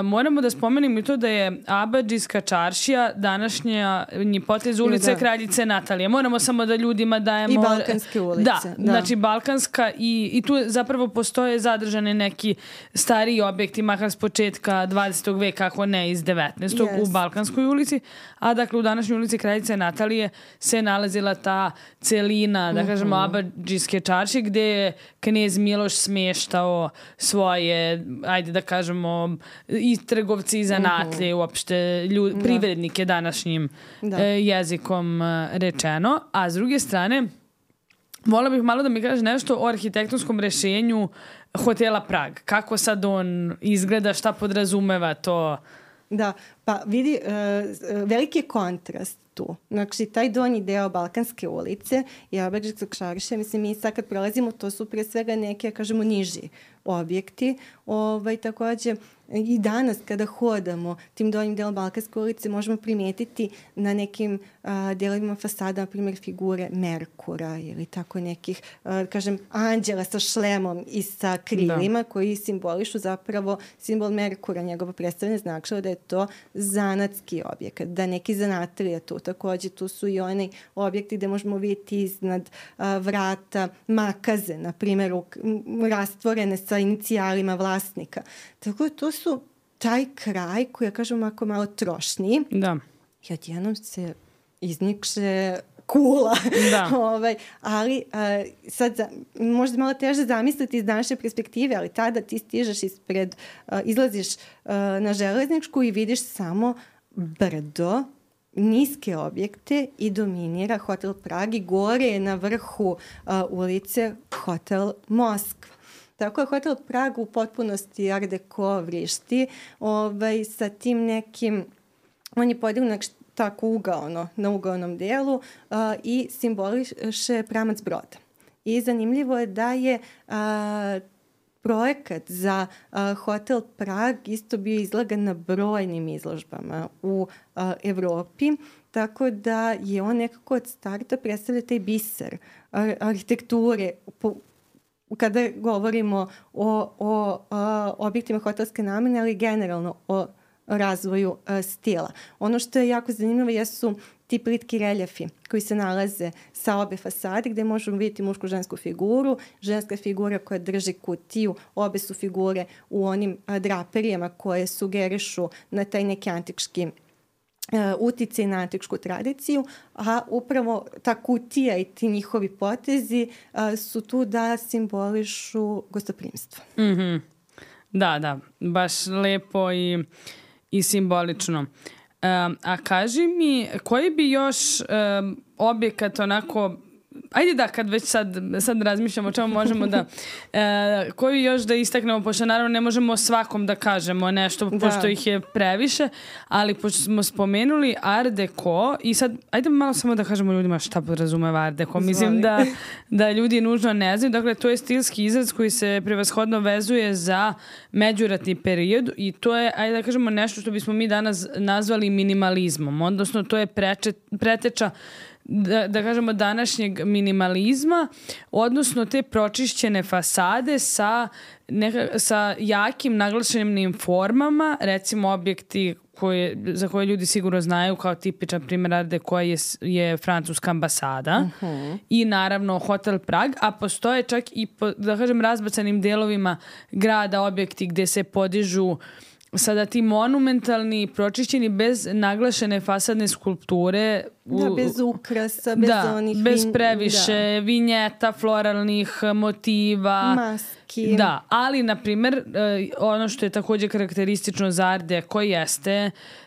A: Moramo da spomenemo i to da je Abadžijska čaršija današnji potez ulice Kraljice Natalije. Moramo samo da ljudima dajemo...
B: I Balkanske ulice.
A: Da, znači Balkanska i tu zapravo postoje zadržane neki stariji objekti, makar s početka 20. veka, ako ne iz 19. u Balkanskoj ulici. A dakle u današnjoj ulici Kraljice Natalije se nalazila ta celina, da kažemo, Abadžijske čaršije, gde je knez Miloš smještao svoje, ajde da kažemo, i trgovci i zanatlje, uopšte privrednike današnjim jezikom rečeno. A s druge strane, volila bih malo da mi kažeš nešto o arhitektonskom rešenju hotela Prag. Kako sad on izgleda, šta podrazumeva to?
B: Da, pa vidi, veliki je kontrast tu. Znači, taj donji deo Balkanske ulice i Abadžijskog čaršija, mislim, mi sad kad prolazimo, to su pre svega neke, kažemo, niži objekti. Također, i danas kada hodamo tim donjim delom Balkanske ulice možemo primijetiti na nekim delovima fasada, na primjer, figure Merkura ili tako nekih, kažem, anđela sa šlemom i sa krilima koji simbolišu zapravo simbol Merkura, njegovo predstavljanje značilo da je to zanatski objekat, da neki zanatlija tu. Također tu su i oni objekti gde možemo vidjeti iznad vrata makaze, na primjer, rastvorene sa inicijalima vlasnika. Tako da to su taj kraj koji, ja kažem, ako malo trošniji.
A: Da.
B: I odjednom se iznikše kula.
A: Da.
B: Ali sad možda malo teže zamisliti iz današnje perspektive, ali tada ti stižeš izlaziš na železničku i vidiš samo brdo, niske objekte i dominira hotel Prag i gore je na vrhu ulice hotel Moskva. Tako je hotel Prag u potpunosti art deco vrišti sa tim nekim, on je podignut tako ugaono, na ugaonom delu i simboliše pramac broda. I zanimljivo je da je projekat za hotel Prag isto bio izlagan na brojnim izložbama u Evropi, tako da je on nekako od starta predstavlja taj biser arhitekture kada govorimo o objektima hotelske namene, ali generalno o razvoju stila. Ono što je jako zanimljivo jesu ti plitki reljefi koji se nalaze sa obe fasade gde možemo vidjeti mušku-žensku figuru, ženska figura koja drži kutiju, obe su figure u onim draperijama koje sugerišu na taj neki antički uticaj na antičku tradiciju, a upravo ta kutija i ti njihovi potezi su tu da simbolišu gostoprimstvo.
A: Mm-hmm. Da, baš lepo i simbolično. A kaži mi, koji bi još objekat onako, ajde da, kad već sad razmišljamo o čemu možemo da, koji još da istaknemo, pošto naravno ne možemo svakom da kažemo nešto, pošto ih je previše, ali pošto smo spomenuli art deco i sad, ajde malo samo da kažemo ljudima šta podrazumeva art deco. Mislim da ljudi nužno ne znaju. Dakle, to je stilski izraz koji se prevashodno vezuje za međuratni period i to je, ajde da kažemo, nešto što bismo mi danas nazvali minimalizmom, odnosno to je preteča da kažemo današnjeg minimalizma, odnosno te pročišćene fasade sa jakim naglašenim formama, recimo objekti za koje ljudi sigurno znaju kao tipičan primjer art deco je francuska ambasada i naravno hotel Prag, a postoje čak i da kažem razbacanim delovima grada objekti gde se podižu sada ti monumentalni, pročišćeni bez naglašene fasadne skulpture.
B: Bez ukrasa, bez onih...
A: bez previše vinjeta, floralnih motiva.
B: Maski.
A: Da, ali, na primjer, ono što je također karakteristično za art deco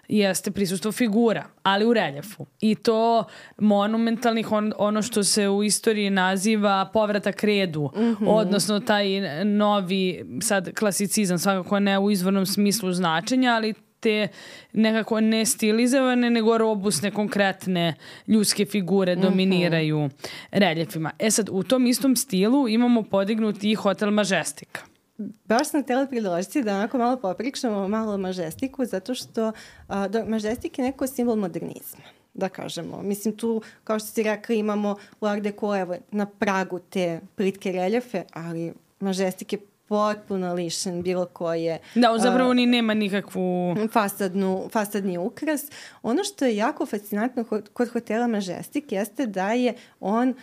A: jeste prisustvo figura, ali u reljefu. I to monumentalnih, ono što se u istoriji naziva povratak redu, odnosno taj novi, sad klasicizam, svakako ne u izvornom smislu značenja, ali te nekako ne stilizovane, nego robusne, konkretne ljudske figure dominiraju reljefima. Sad, u tom istom stilu imamo podignuti i hotel Majestic.
B: Baš sam htjela priložiti da onako malo popričamo malo o Majestiku, zato što Majestic je neko simbol modernizma, da kažemo. Mislim, tu, kao što si rekla, imamo u art deco, evo, na pragu te plitke reljefe, ali Majestic je potpuno lišen bilo koje...
A: Da, zapravo ni nema nikakvu...
B: fasadni ukras. Ono što je jako fascinantno kod hotela Majestic jeste da je on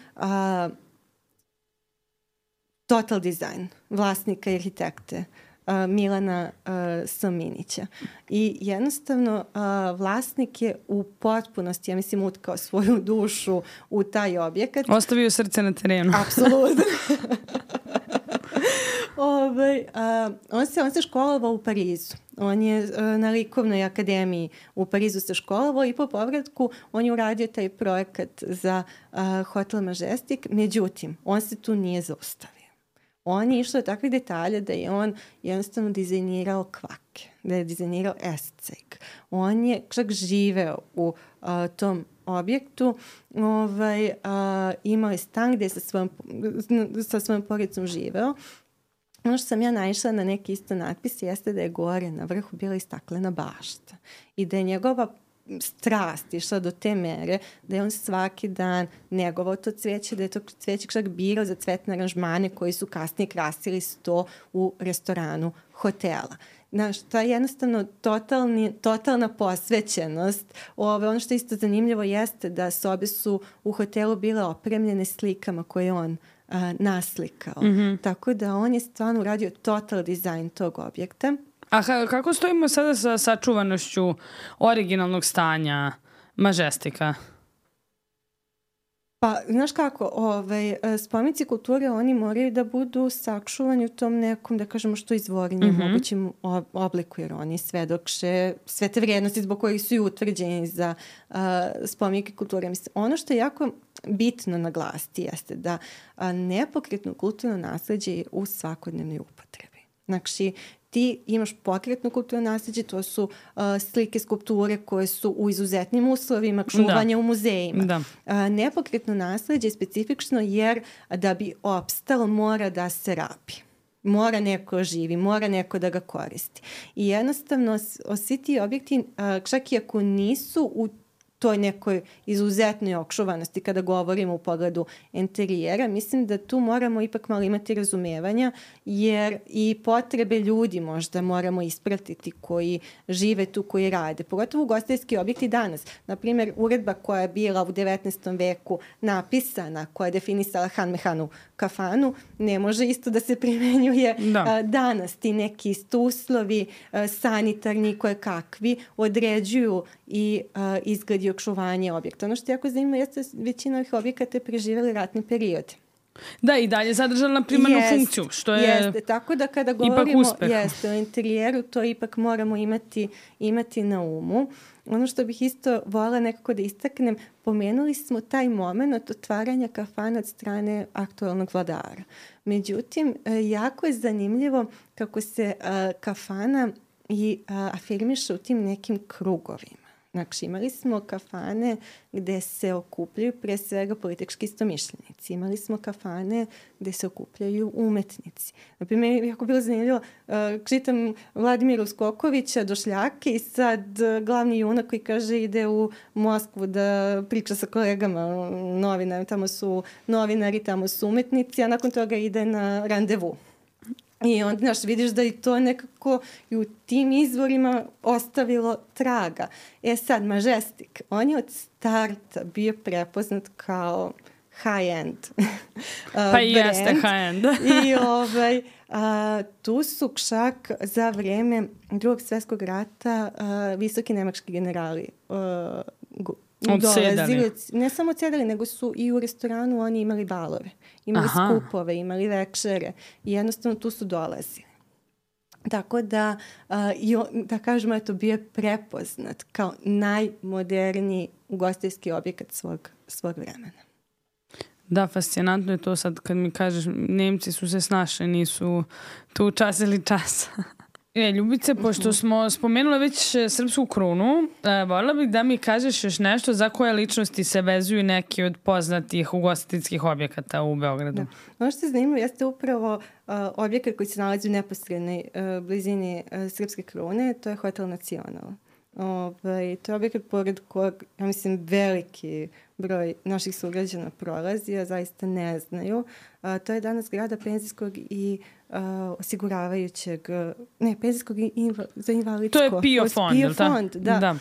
B: total design vlasnika i arhitekte Milana Sominića. I jednostavno vlasnik je u potpunosti, ja mislim, utkao svoju dušu u taj objekat.
A: Ostavio srce na terenu.
B: Apsolutno. On se školovao u Parizu. On je na likovnoj akademiji u Parizu se školovao i po povratku on je uradio taj projekat za hotel Majestic. Međutim, on se tu nije zaustavio. On je išao do takvih detalja da je on jednostavno dizajnirao kvake, da je dizajnirao escejk. On je čak živeo u tom objektu, imao je stan gde je sa svojom porodicom živeo. Ono što sam ja naišla na neki isto natpis jeste da je gore na vrhu bila i staklena bašta i da je njegova strast išla do te mere da je on svaki dan negovao to cveće, da je to cveće čak birao za cvetne aranžmane koji su kasnije krasili sto u restoranu hotela. Znaš, to je jednostavno totalna posvećenost. Ono što je isto zanimljivo jeste da sobe su u hotelu bile opremljene slikama koje on naslikao. Tako da on je stvarno uradio total dizajn tog objekta.
A: A kako stojimo sada sa sačuvanošću originalnog stanja Majestika?
B: Pa, znaš kako, spomenici kulture, oni moraju da budu sačuvani u tom nekom, da kažemo, što izvornije mogućim obliku, jer oni svedoče sve te vrijednosti zbog kojih su i utvrđeni za spomenike kulture. Mislim, ono što je jako bitno naglasiti jeste da nepokretno kulturno nasleđe je u svakodnevnoj upotrebi. Znači, ti imaš pokretno kulturno nasleđe, to su slike, skulpture koje su u izuzetnim uslovima, čuvanje u muzejima.
A: Da.
B: Nepokretno nasleđe je specifično jer da bi opstalo mora da se rabi. Mora neko živi, mora neko da ga koristi. I jednostavno svi ti objekti, čak i ako nisu u toj nekoj izuzetnoj okšuvanosti kada govorimo u pogledu interijera, mislim da tu moramo ipak malo imati razumevanja, jer i potrebe ljudi možda moramo ispratiti koji žive tu, koji rade. Pogotovo ugostiteljski objekti danas. Naprimjer, uredba koja je bila u 19. veku napisana, koja je definisala Han-mehanu kafanu, ne može isto da se primenjuje danas. Ti neki uslovi sanitarni koje kakvi određuju i izgled i okšuvanje objekta. Ono što je jako zanimljivo jeste većina ovih objekata je preživjeli ratni period.
A: Da, i dalje zadržala primarnu funkciju, što je
B: jeste. Tako da kada govorimo o interijeru, to ipak moramo imati na umu. Ono što bih isto voljela nekako da istaknem, pomenuli smo taj moment otvaranja kafana od strane aktualnog vladara. Međutim, jako je zanimljivo kako se kafana i afirmiše u tim nekim krugovima. Znači, imali smo kafane gde se okupljaju pre svega politički istomišljenici. Imali smo kafane gde se okupljaju umetnici. Naprimjer, jako bilo zanimljivo, čitam Vladimira Uskokovića, Došljake, i sad glavni junak koji kaže ide u Moskvu da priča sa kolegama novinarima. Tamo su novinari, tamo su umetnici, a nakon toga ide na randevu. I onda, znaš, vidiš da i to nekako i u tim izvorima ostavilo traga. Sad, Majestic, on je od starta bio prepoznat kao high-end
A: pa i jeste high-end.
B: I tu su čak za vreme Drugog svjetskog rata visoki nemački generali dolazili, ne samo odsedali, nego su i u restoranu oni imali balove, imali skupove, imali večere i jednostavno tu su dolazili. Tako da, da kažemo, eto, bio je prepoznat kao najmoderniji ugostiteljski objekat svog vremena.
A: Da, fascinantno je to sad kad mi kažeš, Nemci su se snašli, nisu tu čas ili čas. Ljubice, pošto smo spomenuli već Srpsku krunu, voljela bih da mi kažeš još nešto za koje ličnosti se vezuju neki od poznatih ugostiteljskih objekata u Beogradu.
B: Da. Ono što je zanimljivo jeste upravo objekat koji se nalazi u neposrednoj blizini Srpske krune, to je Hotel Nacional. To je objekat pored kojeg, ja mislim, veliki broj naših sugrađana prolazi, a zaista ne znaju. To je danas zgrada penzijskog i osiguravajućeg, penzijskog i za invalidsko.
A: To je PIO fond.
B: PIO fond, da.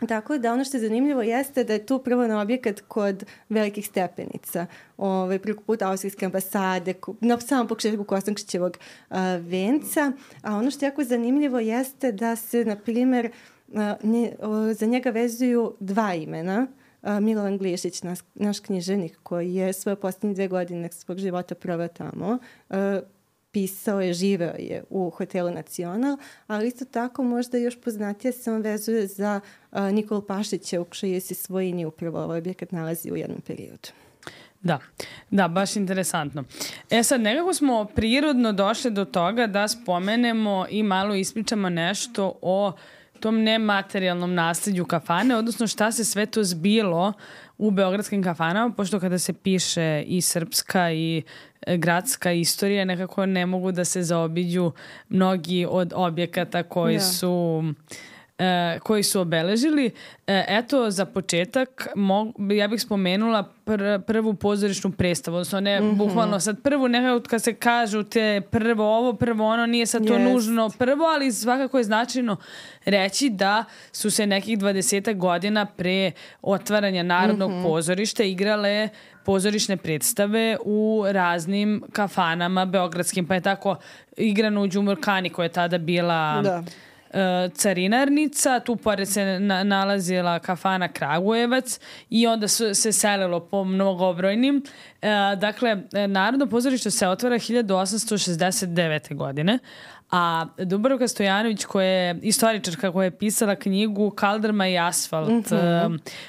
B: Tako da ono što je zanimljivo jeste da je tu prvo na objekat kod velikih stepenica, preko puta Austrijske ambasade, na samom početku Kostančićevog venca. A ono što je jako zanimljivo jeste da se, na primjer, za njega vezuju dva imena. Milovan Glišić, naš književnik koji je svoje posljednje 2 godine svog života proveo tamo, pisao je, živeo je u Hotelu Nacional, ali isto tako možda još poznatije se on vezuje za Nikolu Pašića u čijoj se svojini upravo ovaj objekat nalazi u jednom periodu.
A: Da, baš interesantno. Sad, nekako smo prirodno došli do toga da spomenemo i malo ispričamo nešto o tom nematerijalnom nasljeđu kafane, odnosno šta se sve to zbilo u beogradskim kafanama, pošto kada se piše i srpska i gradska istorija, nekako ne mogu da se zaobiđu mnogi od objekata koji su obeležili. Eto, za početak, ja bih spomenula prvu pozorišnu predstavu, odnosno ne bukvalno sad prvu, nekako kad se kažu te prvo ovo, prvo ono, nije sad to nužno prvo, ali svakako je značajno reći da su se nekih 20 godina pre otvaranja Narodnog pozorišta igrale pozorišne predstave u raznim kafanama beogradskim, pa je tako igrano u Đumurkani koja je tada bila carinarnica, tu pored se nalazila kafana Kragujevac i onda se selilo po mnogobrojnim. Dakle, Narodno pozorište se otvara 1869. godine, a Dubravka Stojanović, koja je istoričarka koja je pisala knjigu Kaldrma i asfalt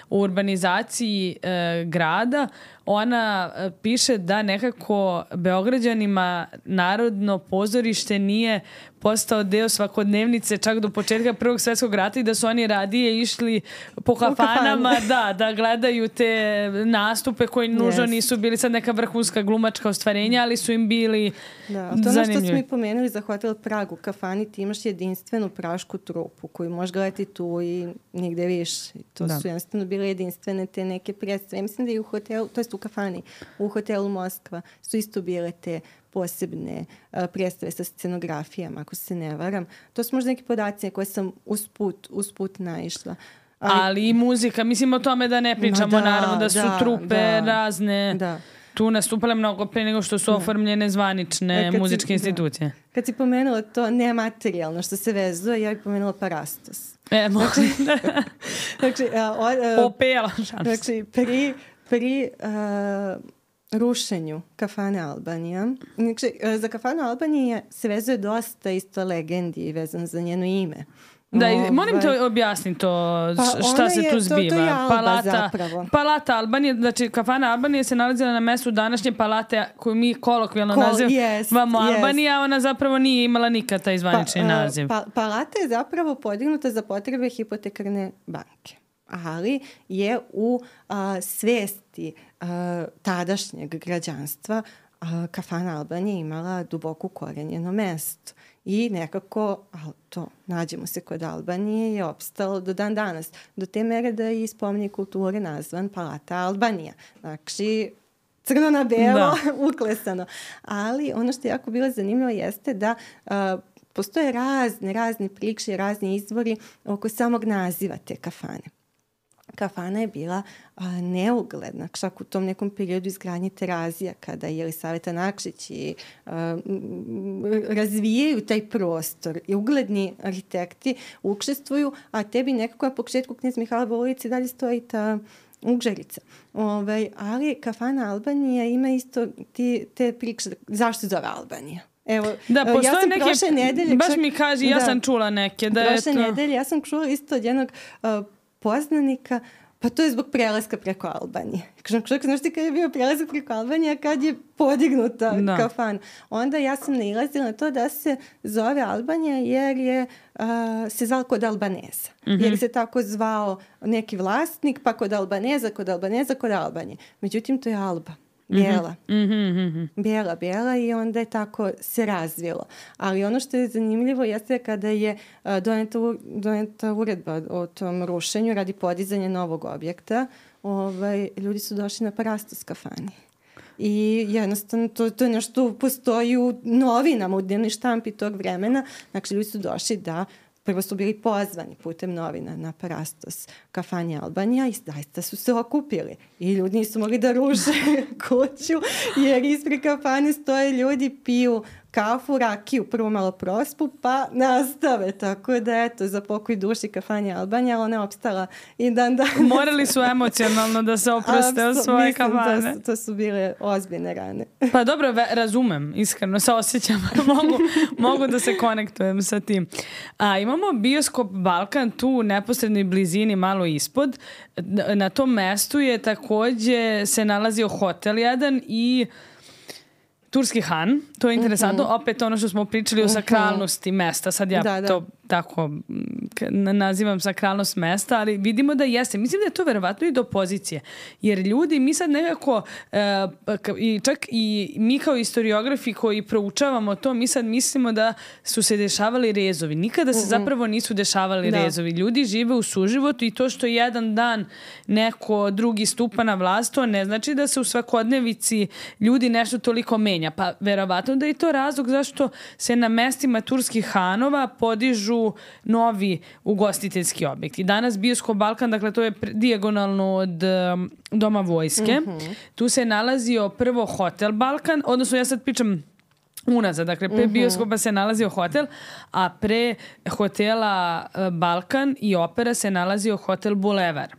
A: o urbanizaciji grada, ona piše da nekako Beograđanima Narodno pozorište nije postao deo svakodnevnice čak do početka Prvog svjetskog rata i da su oni radije išli po kafanama da gledaju te nastupe koji nužno nisu bili sad neka vrhunska glumačka ostvarenja, ali su im bili zanimljivi.
B: To ono što smo i pomenuli za Hotel Prag u kafani, ti imaš jedinstvenu prašku trupu koju možeš gledati tu i nigde više. To su jednostavno bile jedinstvene te neke predstave. Mislim da i u hotelu, to jest u kafani, u hotelu Moskva su isto bile te posebne predstave sa scenografijama, ako se ne varam. To su možda neki podaci koje sam usput naišla.
A: Ali i muzika. Mislim o tome da ne pričamo, naravno, da su trupe razne tu nastupale mnogo pre nego što su oformljene zvanične muzičke institucije.
B: Kad si pomenula to nematerijalno što se vezuje, ja bih pomenula Parastos.
A: Opela.
B: Znači, pri rušenju kafane Albanija. Znači, za kafanu Albanije se vezuje dosta isto legendi vezano za njeno ime.
A: Da, molim te objasni to šta se tu zbiva.
B: To je Alba zapravo.
A: Palata Albanije, znači kafana Albanije se nalazila na mestu današnje palate koju mi kolokvijalno nazivamo Albanija, a ona zapravo nije imala nikad taj zvanični naziv.
B: Palata je zapravo podignuta za potrebe hipotekarne banke, ali je u svesti tadašnjeg građanstva kafana Albanije imala duboko ukorenjeno mesto. I nekako, nađemo se kod Albanije, je opstalo do dan danas. Do te mere da je i spomenik kulture nazvan Palata Albanija. Znači, crno na belo, uklesano. Ali ono što je jako bilo zanimljivo jeste da postoje razni priče, razni izvori oko samog naziva te kafane. Kafana je bila neugledna, čak u tom nekom periodu izgradnje Terazija, kada je Jelisaveta Nakšić i razvijaju taj prostor i ugledni arhitekti učestvuju, a tebi nekako na početku Knez Mihailove ulici dalje stoji ta Ugžarica. Ali kafana Albanija ima isto te priče, zašto se zove Albanija? Evo,
A: postoje
B: ja sam
A: neke,
B: prošle nedelje...
A: Baš mi kaži, ja sam čula neke.
B: Prošle nedelje ja sam čula isto od jednog poznanika, pa to je zbog prelaska preko Albanije. Znaš ti kad je bio prelazak preko Albanije, kad je podignuta kafana. Onda ja sam nailazila na to da se zove Albanija jer je se zvao kod Albaneza. Jer se tako zvao neki vlasnik, pa kod Albaneza, kod Albanije. Međutim, to je Alba. Bijela i onda je tako se razvilo. Ali ono što je zanimljivo jeste kada je doneta uredba o tom rušenju radi podizanja novog objekta, ljudi su došli na Parastos kafani. I jednostavno to je nešto postoji u novinama, u dnevnoj štampi tog vremena. Znači ljudi su došli da prvo su bili pozvani putem novina na Parastos kafani Albanija i zaista su se okupili. I ljudi nisu mogli da ruše kuću jer ispred kafane stoje ljudi, piju kafu, rakiju, prvo malo prospu, pa nastave. Tako da, eto, za pokoj duši kafanja Albanija, ali ona je opstala i dan.
A: Morali su emocionalno da se oproste od svoje kafane.
B: To su bile ozbiljne rane.
A: Pa dobro, razumem, iskreno se osjećam. mogu da se konektujem sa tim. Imamo bioskop Balkan tu u neposrednoj blizini, malo ispod. Na tom mestu je takođe se nalazio hotel jedan i Turski Han, to je interesantno, opet ono što smo pričali o sakralnosti mesta, sad ja to tako nazivam sakralnost mesta, ali vidimo da jeste. Mislim da je to verovatno i do pozicije, jer ljudi, mi sad nekako, čak i mi kao historiografi koji proučavamo to, mi sad mislimo da su se dešavali rezovi. Nikada se zapravo nisu dešavali rezovi. Ljudi žive u suživotu i to što jedan dan neko drugi stupa na vlast, to ne znači da se u svakodnevici ljudi nešto toliko menja. Pa verovatno da je to razlog zašto se na mestima turskih hanova podižu novi ugostiteljski objekti. Danas bioskop Balkan, dakle to je dijagonalno od Doma vojske. Tu se nalazio prvo hotel Balkan, odnosno ja sad pričam unazad. Dakle, pre bioskopa se nalazio hotel, a pre hotela Balkan i Opera se nalazio hotel Bulevar.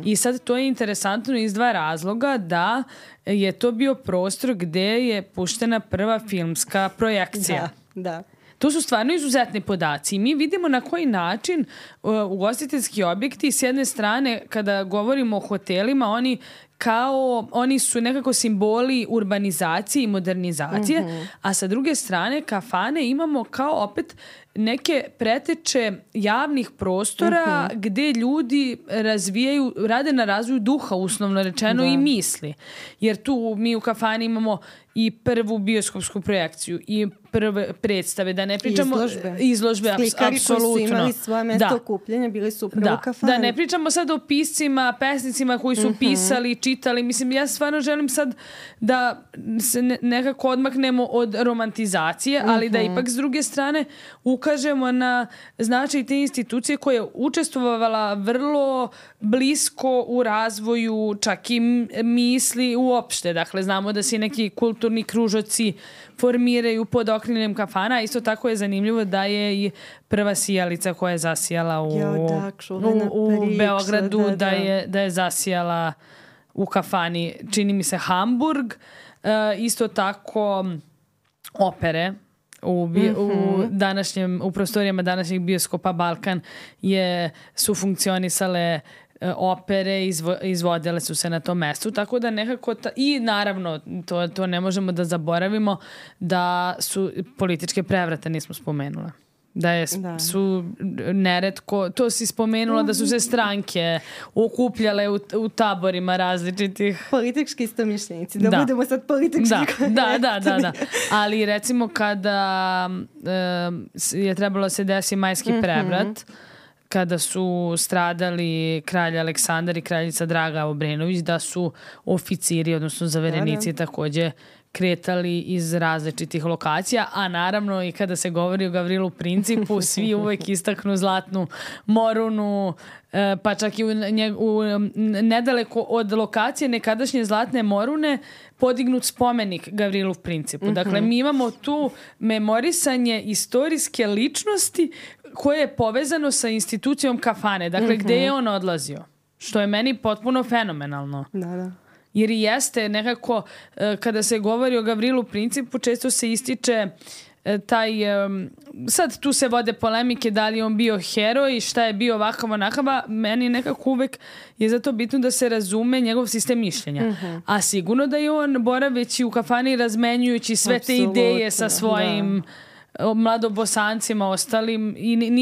A: I sad to je interesantno iz dva razloga, da je to bio prostor gde je puštena prva filmska projekcija.
B: Da.
A: To su stvarno izuzetni podaci i mi vidimo na koji način ugostiteljski objekti, s jedne strane, kada govorimo o hotelima, oni su nekako simboli urbanizacije i modernizacije, a sa druge strane kafane imamo kao opet neke preteče javnih prostora gde ljudi rade na razvoju duha, uslovno rečeno, i misli. Jer tu mi u kafani imamo i prvu bioskopsku projekciju i prve predstave, da ne pričamo izložbe
B: slikari
A: apsolutno.
B: Koji su imali svoje mesto okupljanja, bili su upravo u kafani.
A: Da ne pričamo sad o piscima, pesnicima koji su pisali, čitali. Mislim, ja stvarno želim sad da se nekako odmaknemo od romantizacije, ali da ipak s druge strane ukažemo na značaj te institucije koja je učestvovala vrlo blisko u razvoju čak i misli uopšte. Dakle, znamo da se neki kulturni kružoci formiraju pod okriljem kafana. Isto tako je zanimljivo da je i prva sijalica koja je zasijala u Beogradu, da je zasijala u kafani, čini mi se, Hamburg. Isto tako Opere u prostorijama današnjeg bioskopa Balkan su funkcionisale opere, izvodile su se na tom mestu, tako da nekako i naravno to ne možemo da zaboravimo da su političke prevrate nismo spomenule. Su neretko, to si spomenula da su se stranke okupljale u taborima različitih.
B: Politički istomišljenici, da budemo sad politički korektni.
A: Da. Ali recimo kada je trebalo da se desi majski prevrat, kada su stradali kralj Aleksandar i kraljica Draga Obrenović, da su oficiri, odnosno zaverenici takođe kretali iz različitih lokacija, a naravno i kada se govori o Gavrilu Principu, svi uvek istaknu Zlatnu Morunu, pa čak i nedaleko od lokacije nekadašnje Zlatne Morune podignut spomenik Gavrilu Principu. Dakle, mi imamo tu memorisanje istorijske ličnosti koje je povezano sa institucijom kafane. Dakle, gde je on odlazio? Što je meni potpuno fenomenalno.
B: Da.
A: Jer i jeste nekako, kada se govori o Gavrilu Principu, često se ističe sad tu se vode polemike da li je on bio heroj, šta je bio ovakav onakava, meni nekako uvek je zato bitno da se razume njegov sistem mišljenja. A sigurno da je on boraveći u kafani razmenjujući sve te ideje sa svojim mladobosancima ostalim i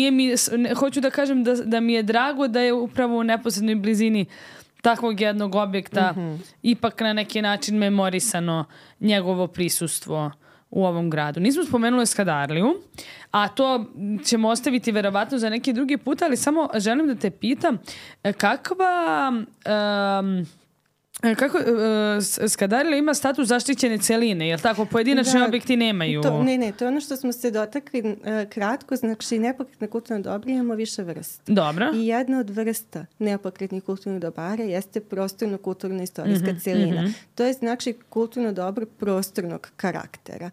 A: hoću da kažem da mi je drago da je upravo u neposrednoj blizini takvog jednog objekta ipak na neki način memorisano njegovo prisustvo u ovom gradu. Nismo spomenuli Skadarliju, a to ćemo ostaviti verovatno za neki drugi put, ali samo želim da te pitam kako Skadarlija ima status zaštićene celine, jel tako? Pojedinačni objekti nemaju.
B: Ne, to je ono što smo se dotakli kratko, znači nepokretne kulturne dobre imamo više vrsta.
A: Dobro.
B: I jedna od vrsta nepokretnih kulturnih dobara jeste prostorno-kulturna istorijska celina. To je znači kulturno dobro prostornog karaktera.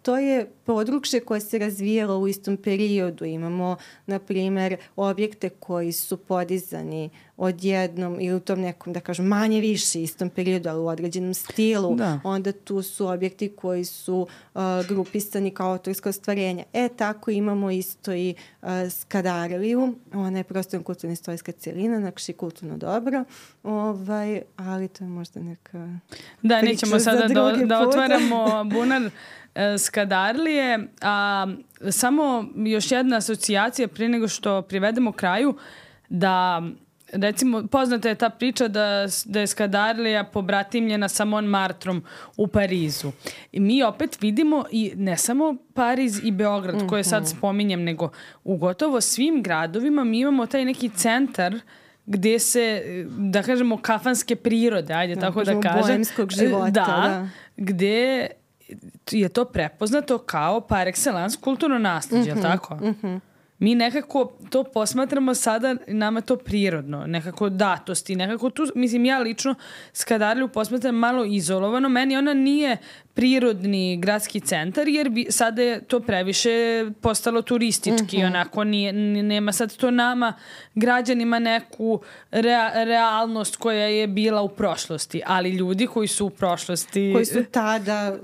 B: To je područje koje se razvijalo u istom periodu. Imamo, na primjer, objekte koji su podizani odjednom ili u tom nekom, da kažem, manje više istom periodu, ali u određenom stilu. Onda tu su objekti koji su grupisani kao autorsko ostvarenje. Tako imamo isto i Skadarliju. Ona je prostorno kulturna istorijska celina, znači kulturno dobro. Ali to je možda neka
A: priča nećemo sada da otvaramo bunar Skadarlije. Samo još jedna asocijacija prije nego što privedemo kraju, da recimo, poznata je ta priča da je Skadarlija pobratimljena sa Montmartrom u Parizu. I mi opet vidimo i ne samo Pariz i Beograd koje sad spominjem, nego u gotovo svim gradovima mi imamo taj neki centar gde se, da kažemo, kafanske prirode, ajde tako da kažem.
B: Boemskog života.
A: Gde je to prepoznato kao par excellence kulturno nasleđe, je li tako? Mi nekako to posmatramo sada, nama to prirodno, nekako datosti, nekako tu, mislim, ja lično Skadarliju posmatram malo izolovano, meni ona nije prirodni gradski centar, jer sada je to previše postalo turistički, onako nema sad to nama građanima neku realnost koja je bila u prošlosti, ali ljudi koji su u prošlosti...
B: Koji su tada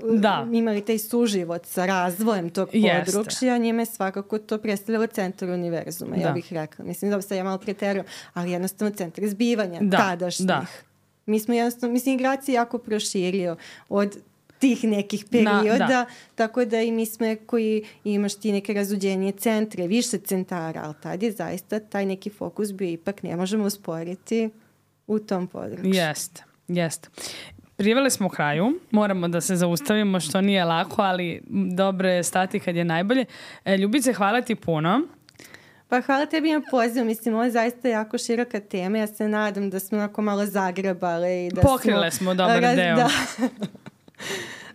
B: imali taj suživot sa razvojem tog područja, njima je svakako to predstavljalo centar univerzuma, ja bih rekla. Mislim da sad ja malo preterujem, ali jednostavno centar zbivanja tadašnjih. Mi smo jednostavno, grad se jako proširio od tih nekih perioda, tako da i mi smo koji imaš ti neke razuđenije centre, više centara, ali tad je zaista taj neki fokus bio ipak ne možemo usporiti u tom području.
A: Jeste. Priveli smo kraju, moramo da se zaustavimo što nije lako, ali dobro je stati kad je najbolje. Ljubice, hvala ti puno.
B: Pa hvala tebi na pozivu, mislim, ovo je zaista jako široka tema, ja se nadam da smo onako malo zagrebali.
A: Pokrile smo dobar deo.
B: Da.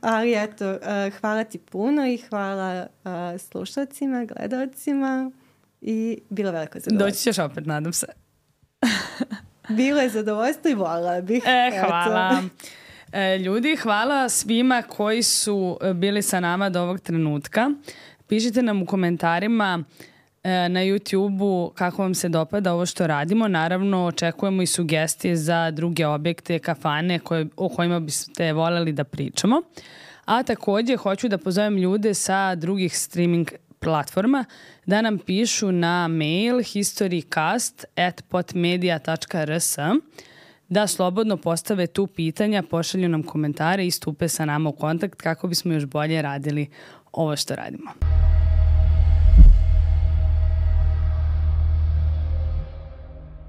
B: Ali eto, hvala ti puno i hvala slušalcima, gledalcima i bilo veliko zadovoljstvo.
A: Doći ćeš opet, nadam se.
B: Bilo je zadovoljstvo i volila bih.
A: Hvala. Ljudi, hvala svima koji su bili sa nama do ovog trenutka. Pišite nam u komentarima na YouTube-u kako vam se dopada ovo što radimo. Naravno, očekujemo i sugestije za druge objekte, kafane o kojima biste voljeli da pričamo. A također hoću da pozovem ljude sa drugih streaming platforma da nam pišu na mail historycast@potmedia.rs, da slobodno postave tu pitanja, pošalju nam komentare i stupe sa nama u kontakt kako bismo još bolje radili ovo što radimo.